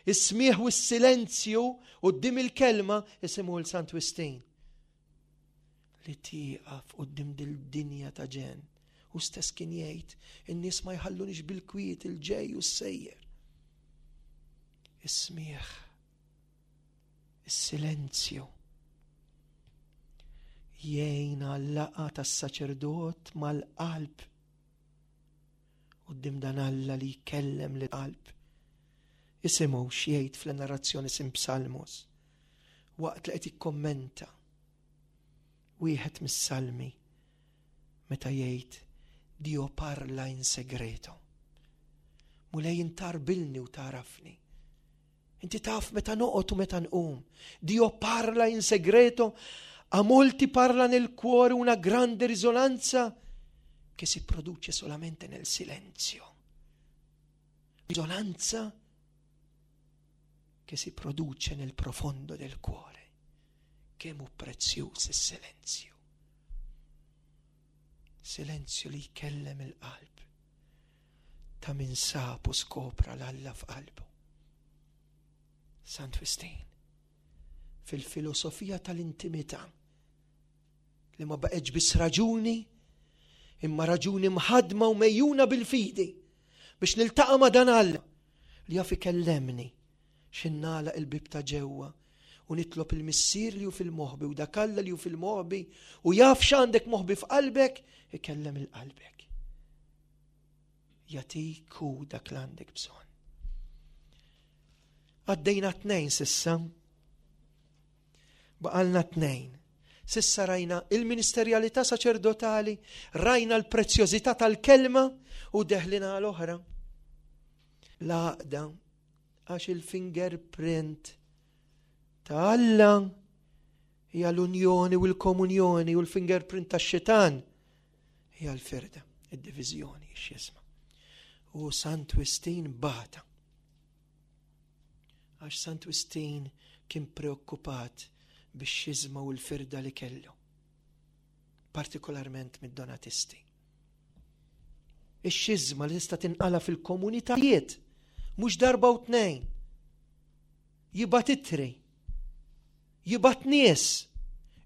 Is-smieħ u s-silenzju quddiem il-kelma jisimu l-Sant Wistin. Li tieqaf quddiem dil-dinja ta' ġenn. U stess kien jgħid, in-nies ma jħallunix bil-kwiet, il-ġej u s-sejjer. Is-smieħ, is-silenzju jgħin għal-laqgħa tas-saċerdot mal-qalb. Quddiem dan Alla li jkellem lill-qalb. Isimgħu x'jgħid fl-narrazzjoni in Psalmos waqt li qed jikkommenta wieħed mis-salmi meta jgħid Dio parla in segreto. Mulej int tgħarbilni u tagħrafni. Inti taf meta noqgħod u meta nqum. Dio parla in segreto, a molti parla nel cuore una grande risonanza che si produce solamente nel silenzio. Risonanza che si produce nel profondo del cuore. Kemm hu prezzjuż is-silenzju. Silenzju li jkellem il-qalb ta' min sab u skopra 'l Alla f'qalbu. Sant Wistin, fil-filosofija tal-intimità li ma baqgħetx biss raġuni, imma raġuni mħadma u megħjuna bil-fidi biex niltaqa' ma' dan Alla li jaf ikellemni x'ħin nagħlaq il-bieb ta' ġewwa u nitlob il-missier li hu fil-moħbi u dak Alla li hu fil-moħbi u jaf x'għandek moħbi f'qalbek, ikellem lil qalbek. Jagħtik hu dak li għandek bżonn. Għaddejna tnejn s'issa. Baqgħalna tnejn. S'issa rajna il-ministerjalità saċerdotali, rajna l-prezzjożità tal-kelma u deħlina għal-oħra. L-għaqda għax il-fingerprint ta' Alla hija l-unjoni u l-komunjoni u l-fingerprint ta' xitan hija l-firda, id-diviżjoni, x-xiżma. U Sant Wistin bata. Għax Sant Wistin kien preokkupat bix-xiżma u l-firda li kellu. Partikolarment mid-donatisti. Ix-xiżma li tista' tinqala fil-komunitajiet, mhux darba u tnejn. Jibgħat ittri, jibgħat nies,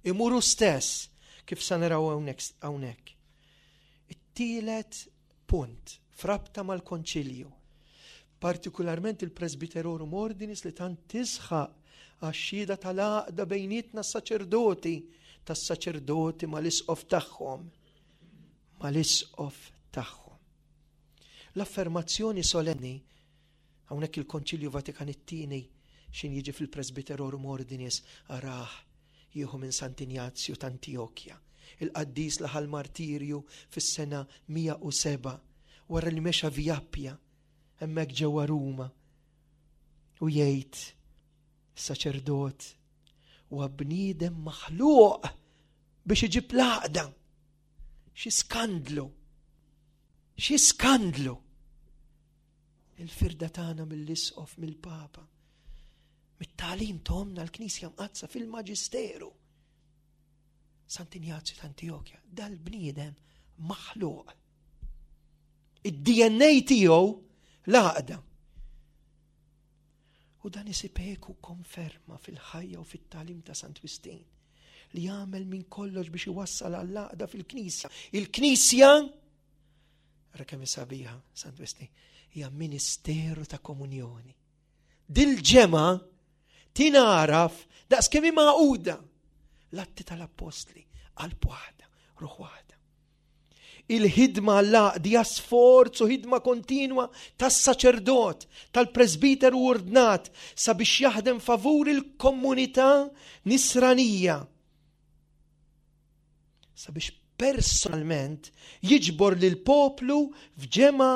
imuru stess, kif sa naraw hawnhekk. It-tielet punt f'rabta mal-konċilju, partikolarment il-Presbyterorum Ordinis li tant tisħaq għax-xhieda tal-għaqda bejnietna s-saċerdoti, tas-saċerdoti mal-isqof tagħhom, mal-isqof tagħhom. L-affermazzjoni solenni hawnhekk il-Konċilju Vatikan it-tieni x'ħin jiġi fil-Presbyterorum Ordinis arah jieħu minn Sant'Injazju t'Antjokja, il-qaddis li ħa l-martirju fis-sena mija u seba' wara li mexa Via Appia hemmhekk ġewwa Ruma u jgħid saċerdot huwa bniedem maħluq biex iġib l-għaqda. Xi skandlu! Xi skandlu! Il-firda tagħna mill-isqof, mill-Papa, mit-tagħlim t'Ommna l-Knisja Mqaddsa fil-Maġisteru. Sant'Injazju t'Antjokja, dal-bniedem maħluq. Id-D N A tiegħu l-għaqda. U dan isib eku konferma fil-ħajja u fit-tagħlim ta' Sant Wistin li jagħmel minn kollox biex iwassal għall-għaqda fil-Knisja. Il-Knisja, ara kemm sabiħa Sant Wistin, hija ministeru ta' komunjoni. Dil-ġemgħa tingħaraf daqs kemm hi magħquda. L-Atti tal-Appostli, qalb waħda, ruħ waħda. Il-ħidma l-għaqda sforz u ħidma kontinwa tas-saċerdot, tal-presbiteru ordnat sabiex jaħdem favur il-komunità nisranija. Sabiex personalment jiġbor lil poplu f'ġemgħa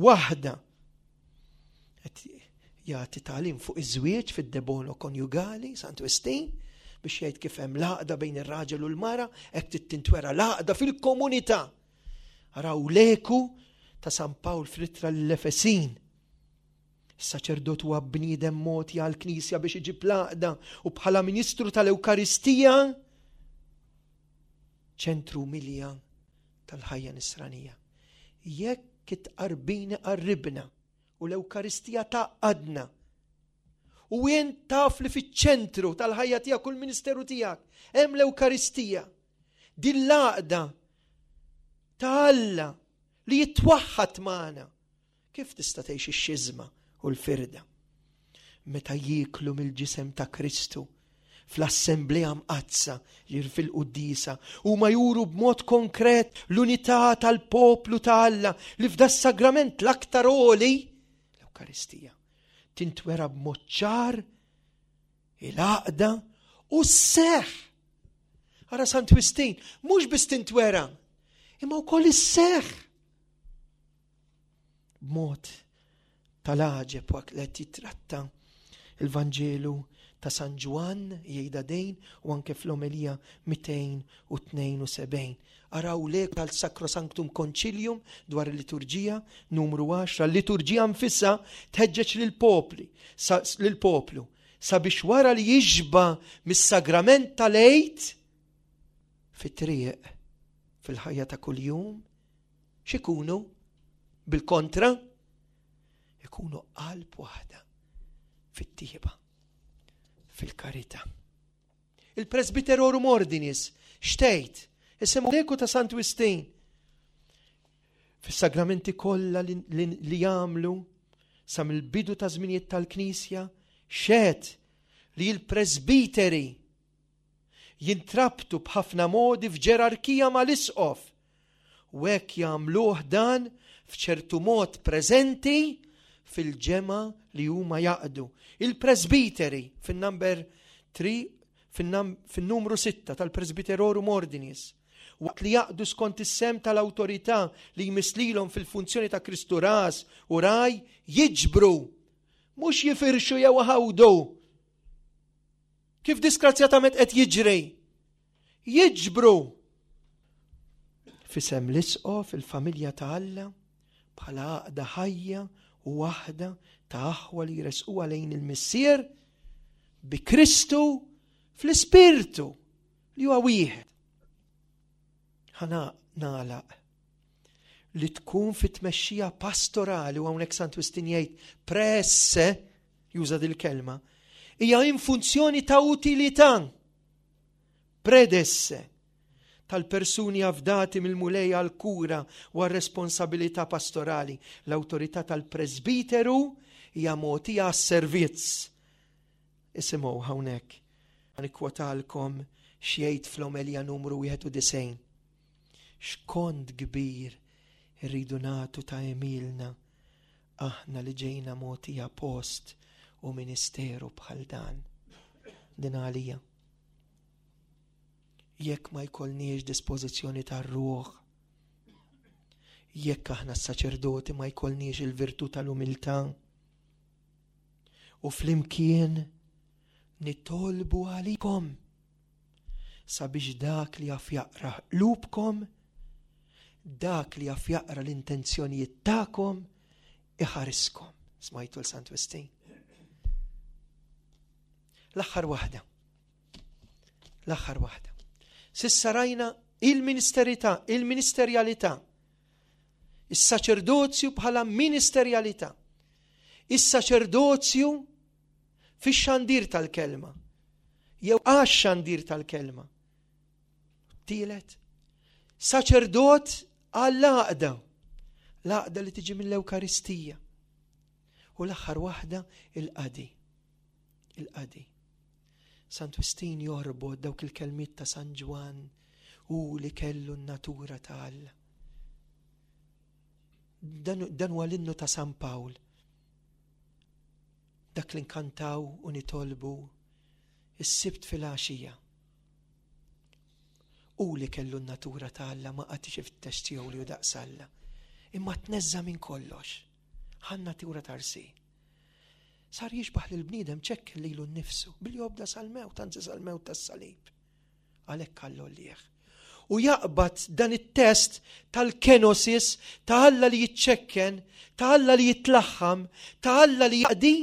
waħda. Qed jagħti tagħlim fuq iż-żwieġ fid-De Bono Coniugali, Sant Wistin, biex jgħid kif hemm l-għaqda bejn ir-raġel u l-mara, hekk tintwera l-għaqda fil-komunità. Araw l-eku ta' San Pawl fl-ittra l-Efesin. Is-saċerdot huwa bniedem mogħti għall-Knisja biex iġib l-għaqda u bħala ministru tal-Ewkaristija ċentru milja tal-ħajja nisranija. Jekk it-tqarbin qarribna u l-Ewkaristija tgħaqqadna u jien taf li fiċ-ċentru tal-ħajja tiegħek u l-ministeru tiegħek hemm l-Ewkaristija. Din l-għaqda ta' Alla li jitwaħħad magħna. Kif tista' tgħix ix-xiżma u l-firda? Meta jieklu mill-ġisem ta' Kristu fl-assemblea mqaddsa, jir fil-quddisa, huma juru b'mod konkret l-unità tal-poplu ta' Alla li f'das-sagrament l-aktar għoli, l-Ewkaristija, tintwera b'mod ċar il-għaqda u s-seħ. Ara Sant Wistin, mhux biss tintwera, imma wkoll is-seħ. B'mod tal-għaġeb waqt li qed jitratta il-Vanġelu ta' San Ġwann jgħidha din u anke fl-omelija mitejn u tnejn u sebgħin. Araw lek tal-Sacrosanctum Concilium dwar il-liturġija numru għaxra, l-liturġija nfisha tħeġġeġ lill-popli, lill-poplu sabiex wara li jixba mis-sagrament tal-Għid fit-triq fil-ħajja ta' kuljum, x'ikunu bil-kontra? Ikunu qalb waħda fit-tjieba, fil-karità. Il-Presbyterorum Ordinis, xtejt, isimgħu l-eku ta' Sant Wistin. Fis-sagramenti kollha li, li, li jagħmlu sa mill-bidu ta' żminijiet tal-Knisja, xed li l-presbiteri jintrabtu b'ħafna modi f'ġerarkija mal-isqof u hekk jagħmluh dan f'ċertu mod preżenti fil-ġemgħa li huma jaqdu. Il-presbiteri fin-number three, fin-numru sitta tal-Presbyterorum Ordinis, waqt li jaqdu skont is-sem tal-awtorità li jmisslilhom fil-funzjoni ta' Kristu ras u raj, jiġbru, mhux jifirxu jew ħawdu. Kif disgrazzjatament qed jiġri? Jiġbru. Fisem l-isqof il-familja ta' Alla bħala għaqda ħajja u waħda ta' aħwa li jresquha lejn il-Missier bi Kristu fl-Ispirtu li huwa wieħed. Ħana nagħlaq li tkun fit-tmexxija pastorali, u hawnhekk Sant Wistin jgħid presse, juża dil-kelma, hija in funzjoni ta' utilità predesse tal-persuni afdati mill-Mulej għal-kura u għal-responsabilità pastorali. L-awtorità tal-presbiteru hija mogħtija għas-servizz. Isimgħu hawnhekk, ħanikwotalkom x'jgħid fl-omelja numru wieħed u disgħin. X'kont kbir irridu nagħtu ta' għemilna aħna li ġejna mogħtija post u ministeru bħal dan. Din għalija. Jekk ma jkollniex dispożizzjoni tar-ruħ, jekk aħna s-saċerdoti ma jkollniex il-virtù tal-umiltà, u flimkien nitolbu għalikom sabiex dak li jaf jaqra qlubkom, dak li jaf jaqra l-intenzjonijiet tagħkom, iħariskom. Smajtu l-Sant Wistin. L-aħħar waħda. L-aħħar waħda. Sissa rajna il-ministerità, il-ministerjalità, is-saċerdozju bħala ministerjalità, is-saċerdozju fix-xandir tal-kelma, jew għax-xandir tal-kelma. Tielet, saċerdot għall-għaqda, l-għaqda li tiġi mill-Ewkaristija. U l-aħħar waħda, il-qadi. Il-qadi. Sant Wistin jorbot dawk il-kelmiet ta' San Ġwann u li kellu n-natura ta' Alla. Dan, dan huwa l-innu ta' San Pawl. Dak li nkantaw u nitolbu is-Sibt fil-għaxija. U li kellu n-natura ta' Alla ma qagħadx ifittex tiegħu li hu daqs Alla. Imma tneżża minn kollox. Ħa n-natura ta' rsir. Sar jixbaħ lil bniedem ċekken lilu nnifsu billi obda sal-mewt, anzi sal-mewt tas-salib. Għalhekk Alla għollih. U jaqbad dan it-test tal-kenosis ta' Alla li jiċċekken, ta' Alla li jitlaħħam, ta' Alla li jaqdi.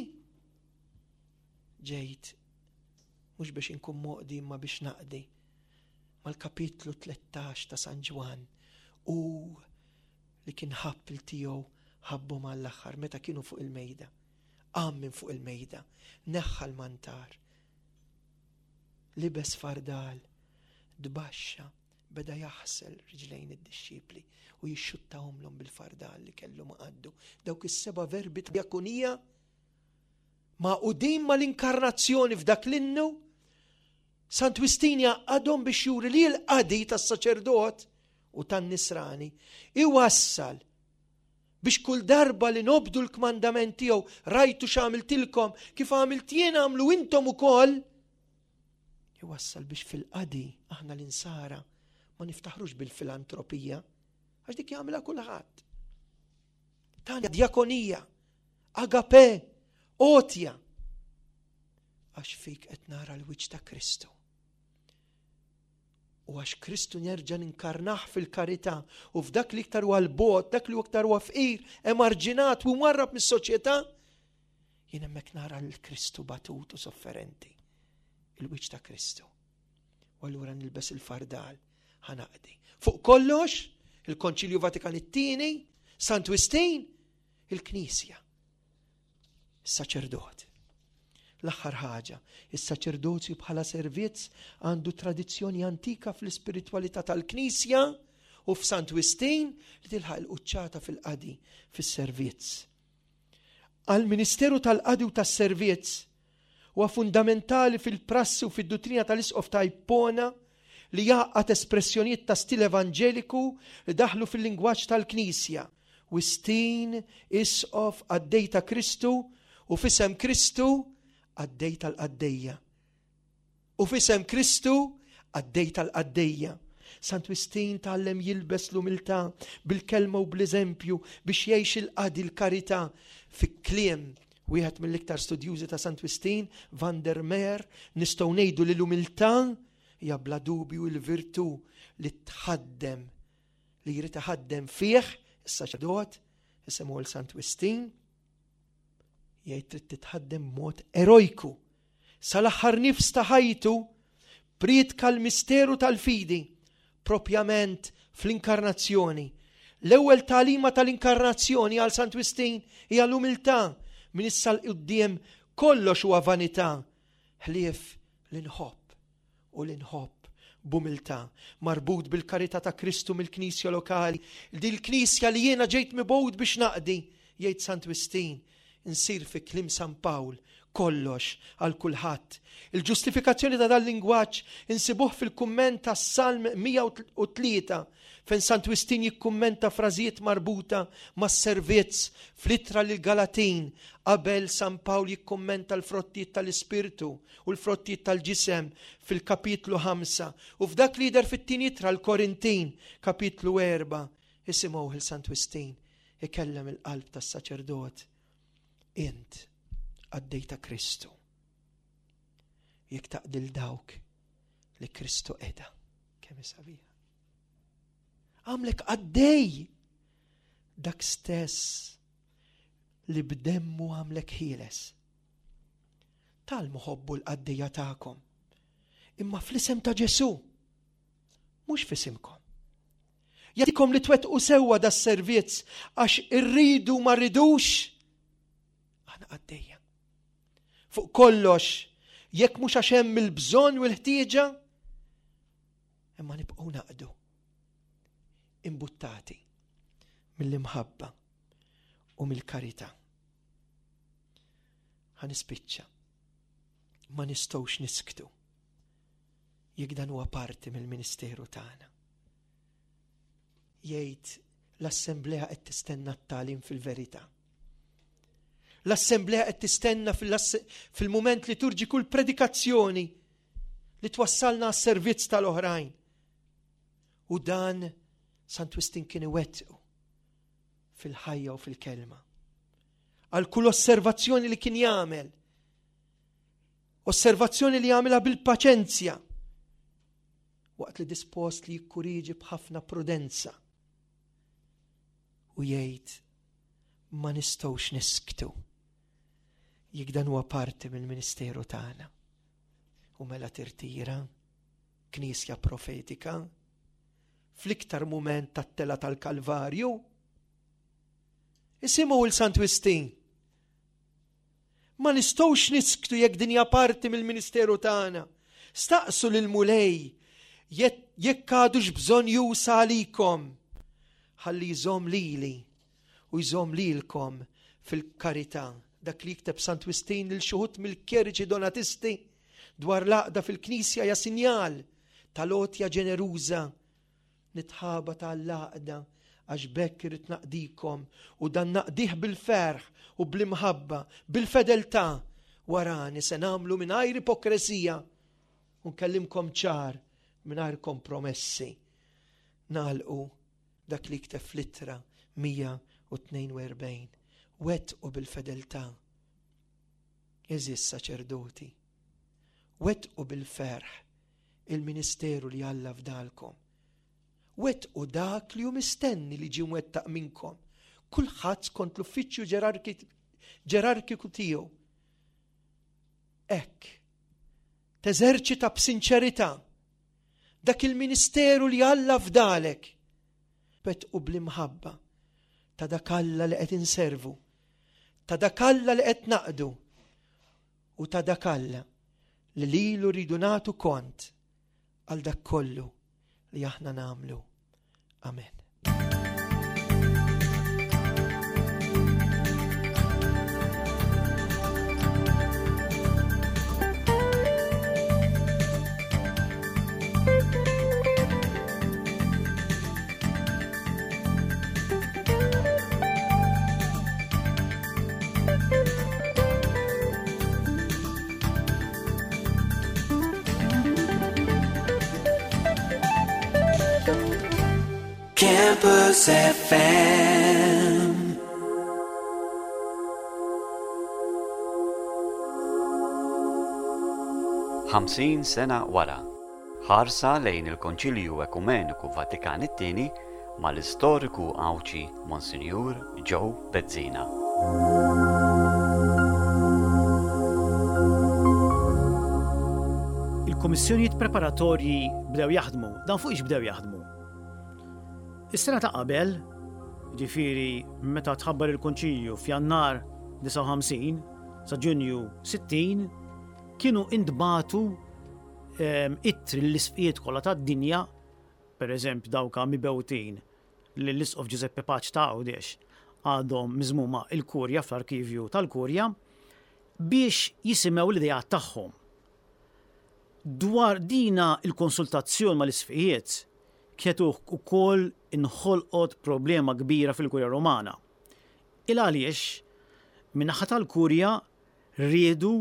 Ġejt mhux biex inkun moqdi imma biex naqdi. Mal-kapitlu tlettax ta' San Ġwann u li kien ħabb il tiegħu ħabbu mal-aħħar meta kienu fuq il-mejda. Qam minn fuq il-mejda, neħħa l-mantar, libes fardal, dbaxxa, beda jaħsel riġlejn id-dixxipli u jixxuttahomlhom bil-fardal li kellu ma' qaddu. Dawk is-seba' verbi ta' diakonija magħqudin mal-inkarnazzjoni f'dak l-innu Sant Wistin jgħaqqadhom biex juri li l-qadi tas-saċerdot u tan-nisrani iwassal biex kull darba li nobdu l-kmandament tiegħu, "Rajtu x'għamiltilkom, kif għamilt jien għamlu intom ukoll", iwassal biex fil-qadi aħna l-insara ma niftaħrux bil-filantropija, għax dik jagħmilha kulħadd. Tana djakonija, agape, għotja. Għax fik qed nara l-wiċċ ta' Kristu. U għax Kristu nerġa' ninkarnah fil-karità u f'dak li iktar huwa l-bogħod, dak li iktar huwa fqir, emarġinat u marrab mis-soċjetà, jien hemmhekk nara l-Kristu batut u sofferenti. Il-wiċċ ta' Kristu. U allura nilbes il-fardal, ħa naqdi. Fuq kollox, il-Konċilju Vatikan it-Tieni, Sant Wistin, il-Knisja, is-saċerdot. L-aħħar ħaġa, is-saċerdozju bħala servizz għandu tradizzjoni antika fl-ispiritwalità tal-Knisja u f'Sant Wistin li tilħaq il-quċċata fil-qadi, fis-servizz. Għal-Ministeru tal-Qadi u tas-Servizz huwa fundamentali fil-prassi u fid-duttrina tal-Isqof ta' Ippona li jgħaqqad espressjonijiet ta' stil evanġeliku li daħlu fil-lingwaġġ tal-Knisja. Wistin, isqof, qaddej ta' Kristu u f'isem Kristu qaddej tal-qaddejja. U f'isem Kristu qaddej tal-qaddejja. Sant Wistin tgħallem jilbes l-umiltà bil-kelma u bl-eżempju biex jgħix il-qadi, l-karità. Fi kliem wieħed mill-iktar studjużi ta' Sant Wistin, Van der Meer, nistgħu ngħidu li l-umiltà hija bla dubju l-virtù li tħaddem, li jrid iħaddem fih is-saċerdot, isimhu l-Sant Wistin, jgħid trid titħaddem mod erojku. Sal-aħħar nifs ta' ħajtu priedka l-misteru tal-fidi, propjament fl-inkarnazzjoni. L-ewwel tagħlima tal-inkarnazzjoni għal Sant Wistin hija l-umiltà. Minn issa 'l quddiem kollox huwa vanità, ħlief li nħobb u li nħobb b'umiltà, marbut bil-karità ta' Kristu mill-Knisja lokali, di l-Knisja li jiena ġejt mibgħut biex naqdi, jgħid Sant Wistin, insir fi kliem San Pawl kollox għal kulħadd. Il-ġustifikazzjoni ta' dal-lingwaġġ insibuh fil-kumment tas Salm mija u tlieta, fejn Sant Wistin jikkummenta frażijiet marbuta mas-servizz fl-ittra lil Galatin qabel San Pawl jikkummenta l-frottijiet tal-Ispirtu u l-frottijiet tal-ġisem fil-kapitlu ħamsa u f'dak li jidher fit-tieni ittra l-Korintin, kapitlu erbgħa. Isimgħu il Sant Wistin ikellem il-qalb tas-saċerdot. Int qaddej ta' Kristu jekk taqdi 'l dawk li Kristu qeda. Kemm sabiħa! Għamlek qaddej dak stess li b'demmu għamlek ħieles. Tgħallmu ħobbu l-qaddejja tagħkom. Imma fl-isem ta' Ġesù, mhux f'isimkom. Jagħtikom li twettqu sewwa da servizz għax irridu ma rridux aħna qaddejja. Fuq kollox, jekk mhux għax hemm il-bżonn u l-ħtieġa, imma nibqgħu naqdu imbuttati mill-imħabba u mill-karità. Ħa nispiċċa. Ma nistgħux nisktu jekk dan huwa parti mill-ministeru tagħna. Jgħid l-assemblea qed tistenna t-tagħlim fil-verità. L-assemblea qed tistenna fil-mument liturġiku l-predikazzjoni li twassalna għas-servizz tal-oħrajn. U dan Sant Wistin kien iwettqu fil-ħajja u fil-kelma. Għal kull osservazzjoni li kien jagħmel, osservazzjoni li jagħmilha bil-paċenzja, waqt li dispost li jikkuriġi b'ħafna prudenza. U jgħid ma nistgħux nisktu jekk dan huwa parti mill-ministeru tagħna. U mela tirtira, Knisja profetika, fl-iktar mument tat-tela tal-Kalvarju. Isimgħu il-Sant Wistin. Ma nistgħux nisktu jekk din hija parti mill-ministeru tagħna. Staqsu lil Mulej jekk għadux bżonn jusa għalikom. Ħalli jżomm lili u jżomm lilkom fil-karità. Dak li jikteb Sant Wistin lil xi wħud mill-kjeriċi donatisti. dwar l-għaqda fil-Knisja hija sinjal tal-għotja ġeneruża. Nitħabat għall-għaqda għax b'hekk irrid naqdikom u dan naqdih bil-ferħ u bl-imħabba, bil-fedeltà. Warani se nagħmlu mingħajr ipokresija u nkellimkom ċar mingħajr kompromessi. Nagħlqu dak li kteb fl-ittra mija u tnejn u erbgħin. Wettqu bil-fedeltà. Għeżież saċerdoti, wettqu bil-ferħ il-ministeru li Alla fdalkom. Wettqu dak li hu mistenni li ġie mwettaq minnkom. Kulħadd skont l-uffiċċju ġerarkiku tiegħu. Hekk teżerċita b'sinċerità dak il-ministeru li Alla fdalek. Wettqu bl-imħabba ta' dak Alla li qed inservu, ta' dak Alla li qed naqdu u ta' dak Alla li lilu rridu nagħtu kont għal dak kollu li aħna nagħmlu. Amen. Campus F M. Ħamsin sena wara, ħarsa lejn il-Konċilju Ekumeniku Vatikan it-tieni mal-istoriku Għawdxi Monsinjur Joe Bezzina. Il-kummissjonijiet preparatorji bdew jaħdmu, dan fuq ix bdew jaħdmu. Is-sena ta' qabel, ġifieri meta tħabbar il-Konċilju f'Jannar disgħa u ħamsin sa Ġunju sittin, kienu intbatu, ehm, ittri l-isqfijiet kollha tad-dinja, per eżempju dawka mibewtin li l-Isqof Giuseppe Pace ta' Għawdex għadhom miżmuma il-Kurja fl-arkivju tal-Kurja biex jisimgħu l-idejat tagħhom. Dwar dina il-konsultazzjoni mal-isqfijiet kienet ukoll inħolqot problema kbira fil-Kurja Romana. Il għaliex min-naħa tal-Kurja riedu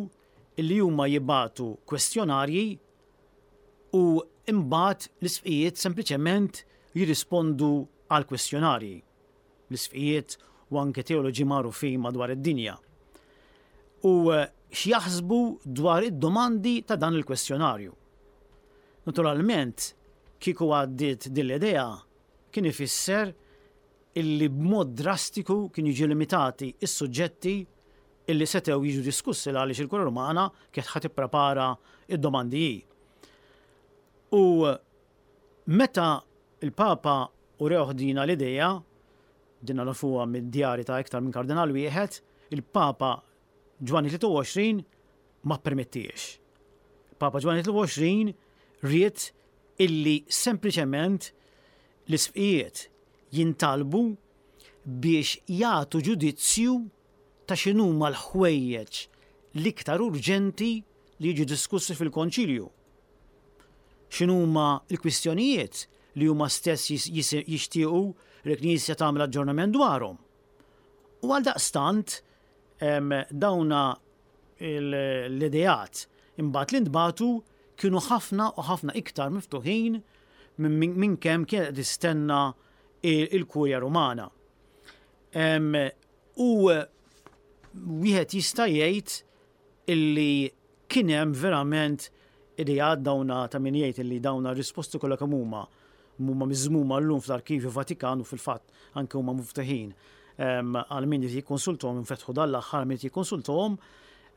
li huma jibatu kwestjonarji u imbagħad l-isqfijiet sempliċement jirrispondu għal kwestjonarji. L-isqfijiet u anke teoloġi magħrufin madwar id-dinja. U x'jaħsbu dwar id-domandi ta' dan il-kwestjonarju. Naturalment, kieku għaddiet din l-idea kien ifisser illi b'mod drastiku kien jiġu limitati is-suġġetti illi setgħu jiġu diskussi għaliex il-Kurja Romana kienet ħa tipprepara id-domandi hi. U meta il-Papa urewh dina l-idea, dinna nafuha mid-djari ta' iktar minn kardinal wieħed, il-Papa Ġwanni tlieta u għoxrin ma ppermettiex. Il-Papa Ġwanni tlieta u għoxrin ried illi sempliċement l-isqfijiet jintalbu biex jagħtu ġudizzju ta' x'inhuma l-ħwejjeġ l-iktar urġenti li jiġu diskussi fil-konċilju. X'inhuma l-kwistjonijiet li huma stess jis-, jis-, jixtiequ li l-Knisja tagħmel aġġornament dwarhom. U għal daqstant, em, dawna il-, l-ideat imbagħad li ntbagħtu kienu ħafna u ħafna iktar miftuħin minn, minn, minn kemm kienet tistenna il-, il-Kurja Rumana. Em, u wieħed jista' jgħid illi kien hemm verament ideat dawna ta' min jgħid illi dawna risposti kollha kemm huma huma miżmuma llum fl-Arkivju Vatikan u fil-fatt anke huma miftuħin, em, għal min jrid jikkonsultahom, infetħu dan l-aħħar min jrid jikkonsultahom.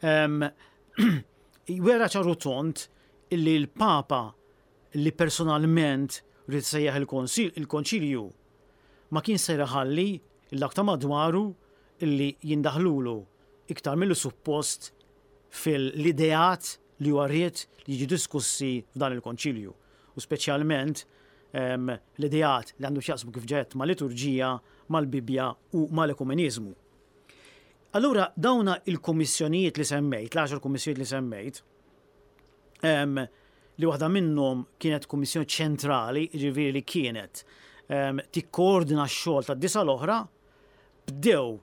Em, wera ċaru tont illi l-Papa li personalment rrid sejjaħ il-konsil-, il-konċilju ma kien se jħalli l-dak ta' madwaru illi jindaħlulu iktar milli suppost fil-ideat li huwa ried li jiġu diskussi f'dan il-konċilju. U speċjalment, em, l-ideat li għandu x'jaqsmu kif ġed ma' liturġija, mal-Bibja u mal-ekumeniżmu. Allura dawna il-kummissjonijiet li semmejt, l-għaxar kummissjonijiet li semmejt, li waħda minnhom kienet kummissjoni ċentrali, jiġifieri li kienet tikkoordina x-xogħol tad-disa l-oħra, bdew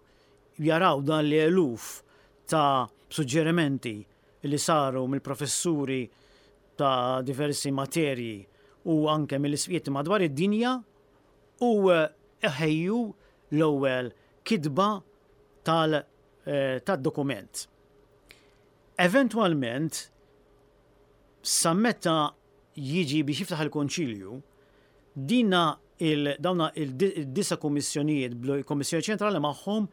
jaraw dan li eluf ta' suġġerimenti li saru mill-professuri ta' diversi materji u anke mill-isqfijiet madwar id-dinja u ħejju l-ewwel kitba tal-dokument. Eventwalment, sa meta jiġi biex jiftaħ il-konċilju, dina il, dawna il-disa kommissjonijiet, bl-Kommissjoni Ċentrali magħhom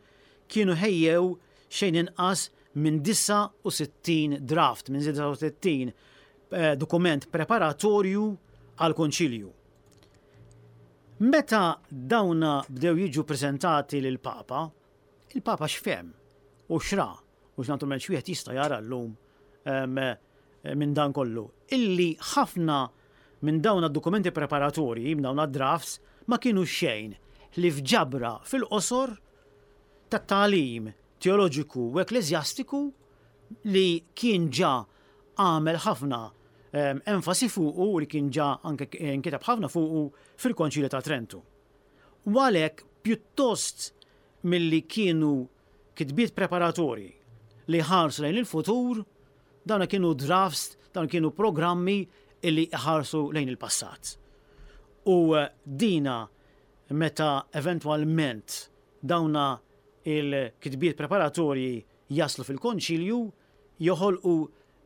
kienu ħejjew xejn inqas minn disgħa u sittin draft, minn disgħa u sittin eh, dokument preparatorju għal konċilju. Meta dawna bdew jiġu prezentati lil Papa, il-Papa x'fehem u x'ra, u x'naturalment x'wieħed jista' jara llum minn dan kollu, illi ħafna minn dawn dokumenti preparatorji, minn dawn drafts, ma kienu xejn ħlief ġabra fil-qosor ta' tagħlim teoloġiku u ekklesjastiku li kien ġa għamel ħafna enfasi fuqu u li kien ġa anke nkiteb ħafna fuqu fil-Konċilju ta' Trentu. U għalhekk pjuttost milli kienu kitbiet preparatorji li ħarsu lejn il-futur, dawna kienu drafts, dawn kienu programmi illi ħarsu lejn il-passat. U eh, dina meta eventwalment dawna il-kitbiet preparatorji jaslu fil-konċilju, joħolqu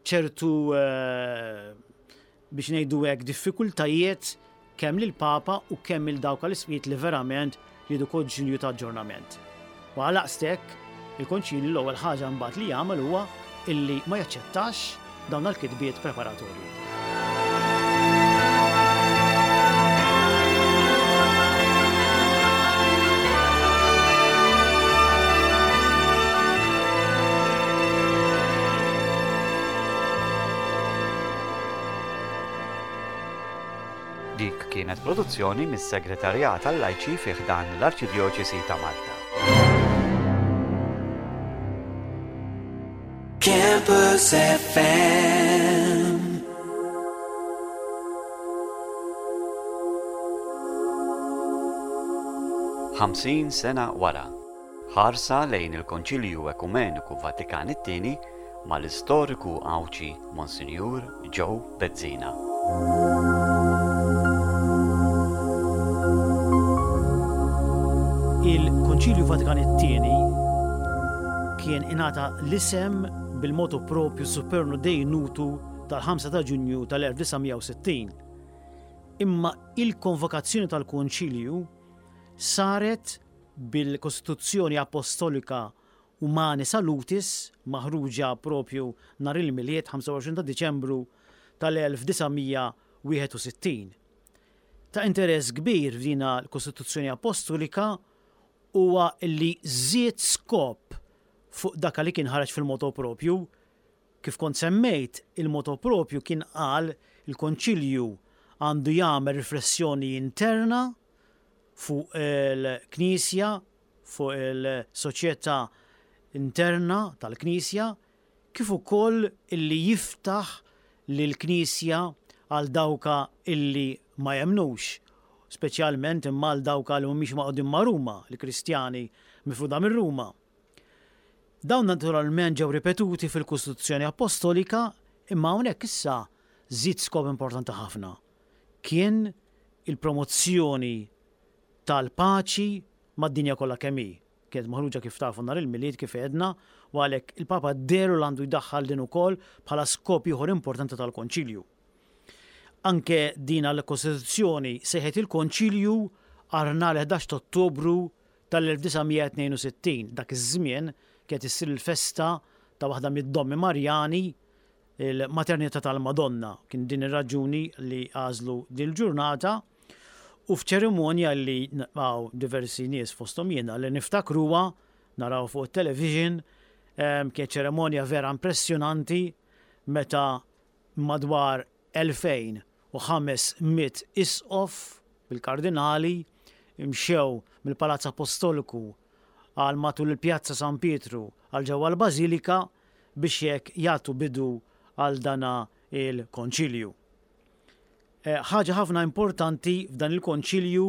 ċertu eh, biex ngħidu hekk diffikultajiet kemm lil Papa u kemm il dawk l-isqfijiet li verament jridu konċilju ta' aġġornament. U għalhekk il-konċilju l-ewwel ħaġa mbagħad li jagħmel huwa illi ma jaċċettax dawn il-kitbiet preparatorji. Dik kienet produzzjoni mis-Segretarjat tal-Lajċi fi ħdan l-Arċidjoċesi ta' Malta. Campus F M. Ħamsin sena wara. Ħarsa lejn il-Konċilju Ekumeniku Vatikan it-tieni mal-istoriku Għawdxi Monsinjur Joe Bezzina. Il-Konċilju Vatikan it-tieni kien ingħata l-isem bil-motu propju Supernum Dei Nutu tal-ħamsa ta' Ġunju tal-elf disa' mija u sittin. Imma il-konvokazzjoni tal-Konċilju saret bil-Kostituzzjoni Apostolika Humanae Salutis maħruġa propju nhar il-Milied ħamsa u għoxrin ta' Diċembru tal-elf disa' mija wieħed u sittin. Ta' interess kbir f'dina l-Kostituzzjoni Apostolika huwa li żied skop fuq dak li kien ħareġ fil-motu propju. Kif kont semmejt, il-motu propju kien qal il-Konċilju għandu jagħmel riflessjoni interna fuq il-Knisja, fuq il-soċjetà interna tal-Knisja, kif ukoll illi jiftaħ lill-Knisja għal dawka illi ma jemnux, speċjalment imma għal dawka li mhumiex magħqudin ma' Ruma, l-Kristjani mifruda minn Ruma. Dawn naturalment ġew ripetuti fil-Kostituzzjoni Apostolika, imma hawnhekk issa żied skop importanti ħafna. Kien il-promozzjoni tal-paċi mad-dinja kollha kemm hi. Kienet maħruġa, kif tafu, nhar il-Milied, kif għedna, u għalhekk il-Papa dehru l għandu jdaħħal din ukoll bħala skop ieħor importanti tal-Konċilju. Anke din l-Kostituzzjoni sejħet il-Konċilju għal nhar ħdax ta' Ottobru tal-elf disa' mija tnejn u sittin. Dak iż-żmien kienet issir il-festa ta' waħda mid-dommi Marjani, il-maternità tal-Madonna. Kien din ir-raġuni li għażlu din il-ġurnata u f'ċerimonja li għaw diversi nies, fosthom jiena, li niftakruha naraw fuq television, kienet ċerimonja vera impressjonanti meta madwar elfejn u ħames mitt isqof bil-kardinali imxew mill-Palazz Apostoliku għal matul il-Pjazza San Pietru għal ġewwa l-Bażilika biex jekk jagħtu bidu għal dana. il-konċilju. Eh, ħaġa ħafna importanti f'dan il-konċilju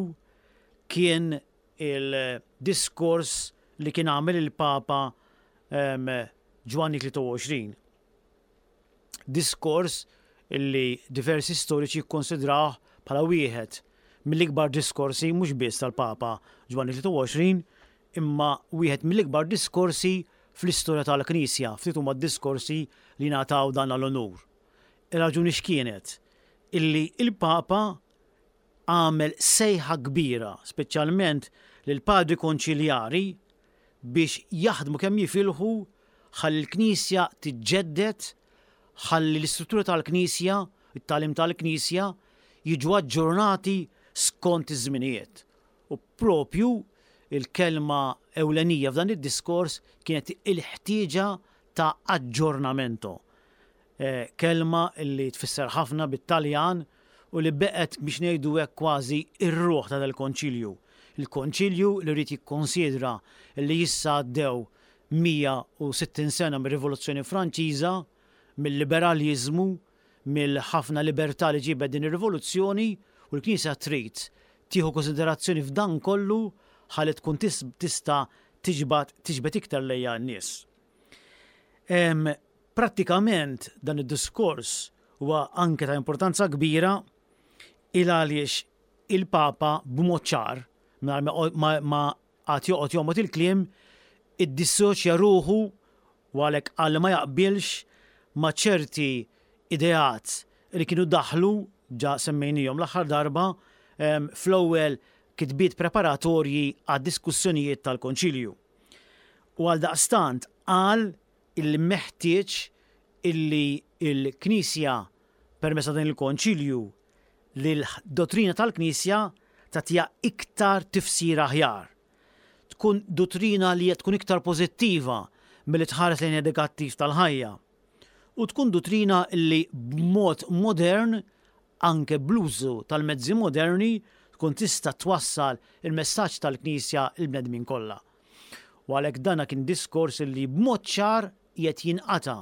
kien il-diskors li kien għamel il-Papa Ġwanni tlieta u għoxrin. Diskors illi diversi storiċi kkonsidrawh bħala wieħed mill-ikbar diskorsi mhux biss tal-Papa Ġwanni tlieta u għoxrin imma wieħed mill-ikbar diskorsi fl-istorja tal-Knisja, ftit huma diskorsi li ngħataw dan l-onur. Ir-raġuni x'kienet? Illi il-Papa għamel sejħa kbira, speċjalment lil padri konċiljari, biex jaħdmu kemm jifilħu ħalli l-Knisja tiġġedded, ħalli l-istruttura tal-Knisja, it-tagħlim tal-Knisja jiġu aġġornati skont iż-żminijiet. U propju il-kelma ewlenija f'dan id-diskors kienet il-ħtieġa ta' aġġornamento. Eh, kelma li tfisser ħafna bit-Taljan u li beqet biex ngħidu hekk kważi ir-ruħ ta' dal-konċilju. Il-konċilju li rrid jikkonsidra li issa għaddew mija u sittin sena mir-Rivoluzzjoni Franċiża, mill-liberalizmu, mill-ħafna libertà li ġibet din ir-rivoluzzjoni, u l-Knisja trid tieħu konsiderazzjoni f'dan kollu ħalli tkun tista' tiġbad tiġbed iktar lejha n-nies. Prattikament dan id-diskors huwa anke ta' importanza kbira il għaliex il-Papa b'mod ċar, ma, ma għad joqgħod jomgħod il-kliem, iddissoċja ruħu u għalhekk qal ma jaqbilx ma' ċerti ideat li kienu daħlu, ġa semmejnijom l-aħħar darba, fl-ewwel kitbiet preparatorji għad diskussjonijiet tal-konċilju. U għal daqstant qal illi meħtieġ illi il-Knisja permezz dan il-konċilju li l-dottrina tal-Knisja tagħtiha iktar tifsira aħjar. Tkun dottrina li tkun iktar pożittiva milli tħares lejn negattiv tal-ħajja. U tkun dottrina li b'mod modern, anke bl-użu tal-mezzi moderni, tkun tista' twassal il-messaġġ tal-Knisja il-bnedmin kollha. U għalhekk dana kien diskors li b'mod ċar qed jinqata'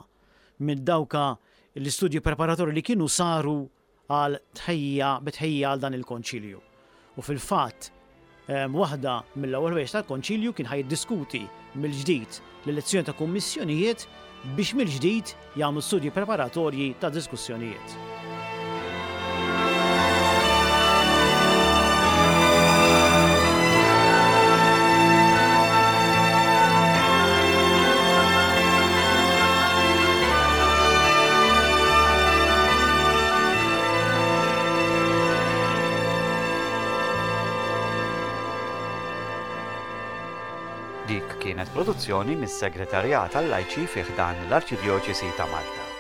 minn dawka l-istudji preparatorji li kienu saru għal tħejja bitħejja għal dan il-konċilju. U fil-fatt, waħda mill-ewwel ħwejjeġ tal-konċilju kien ħaj jiddiskuti mill-ġdid l-elezzjoni ta' kummissjonijiet biex mill-ġdid jagħmlu studji preparatorji ta' diskussjonijiet. Dik kienet produzzjoni mis-Segretarjat għal-Lajċi fi ħdan l-Arċidjoċesi ta' Malta.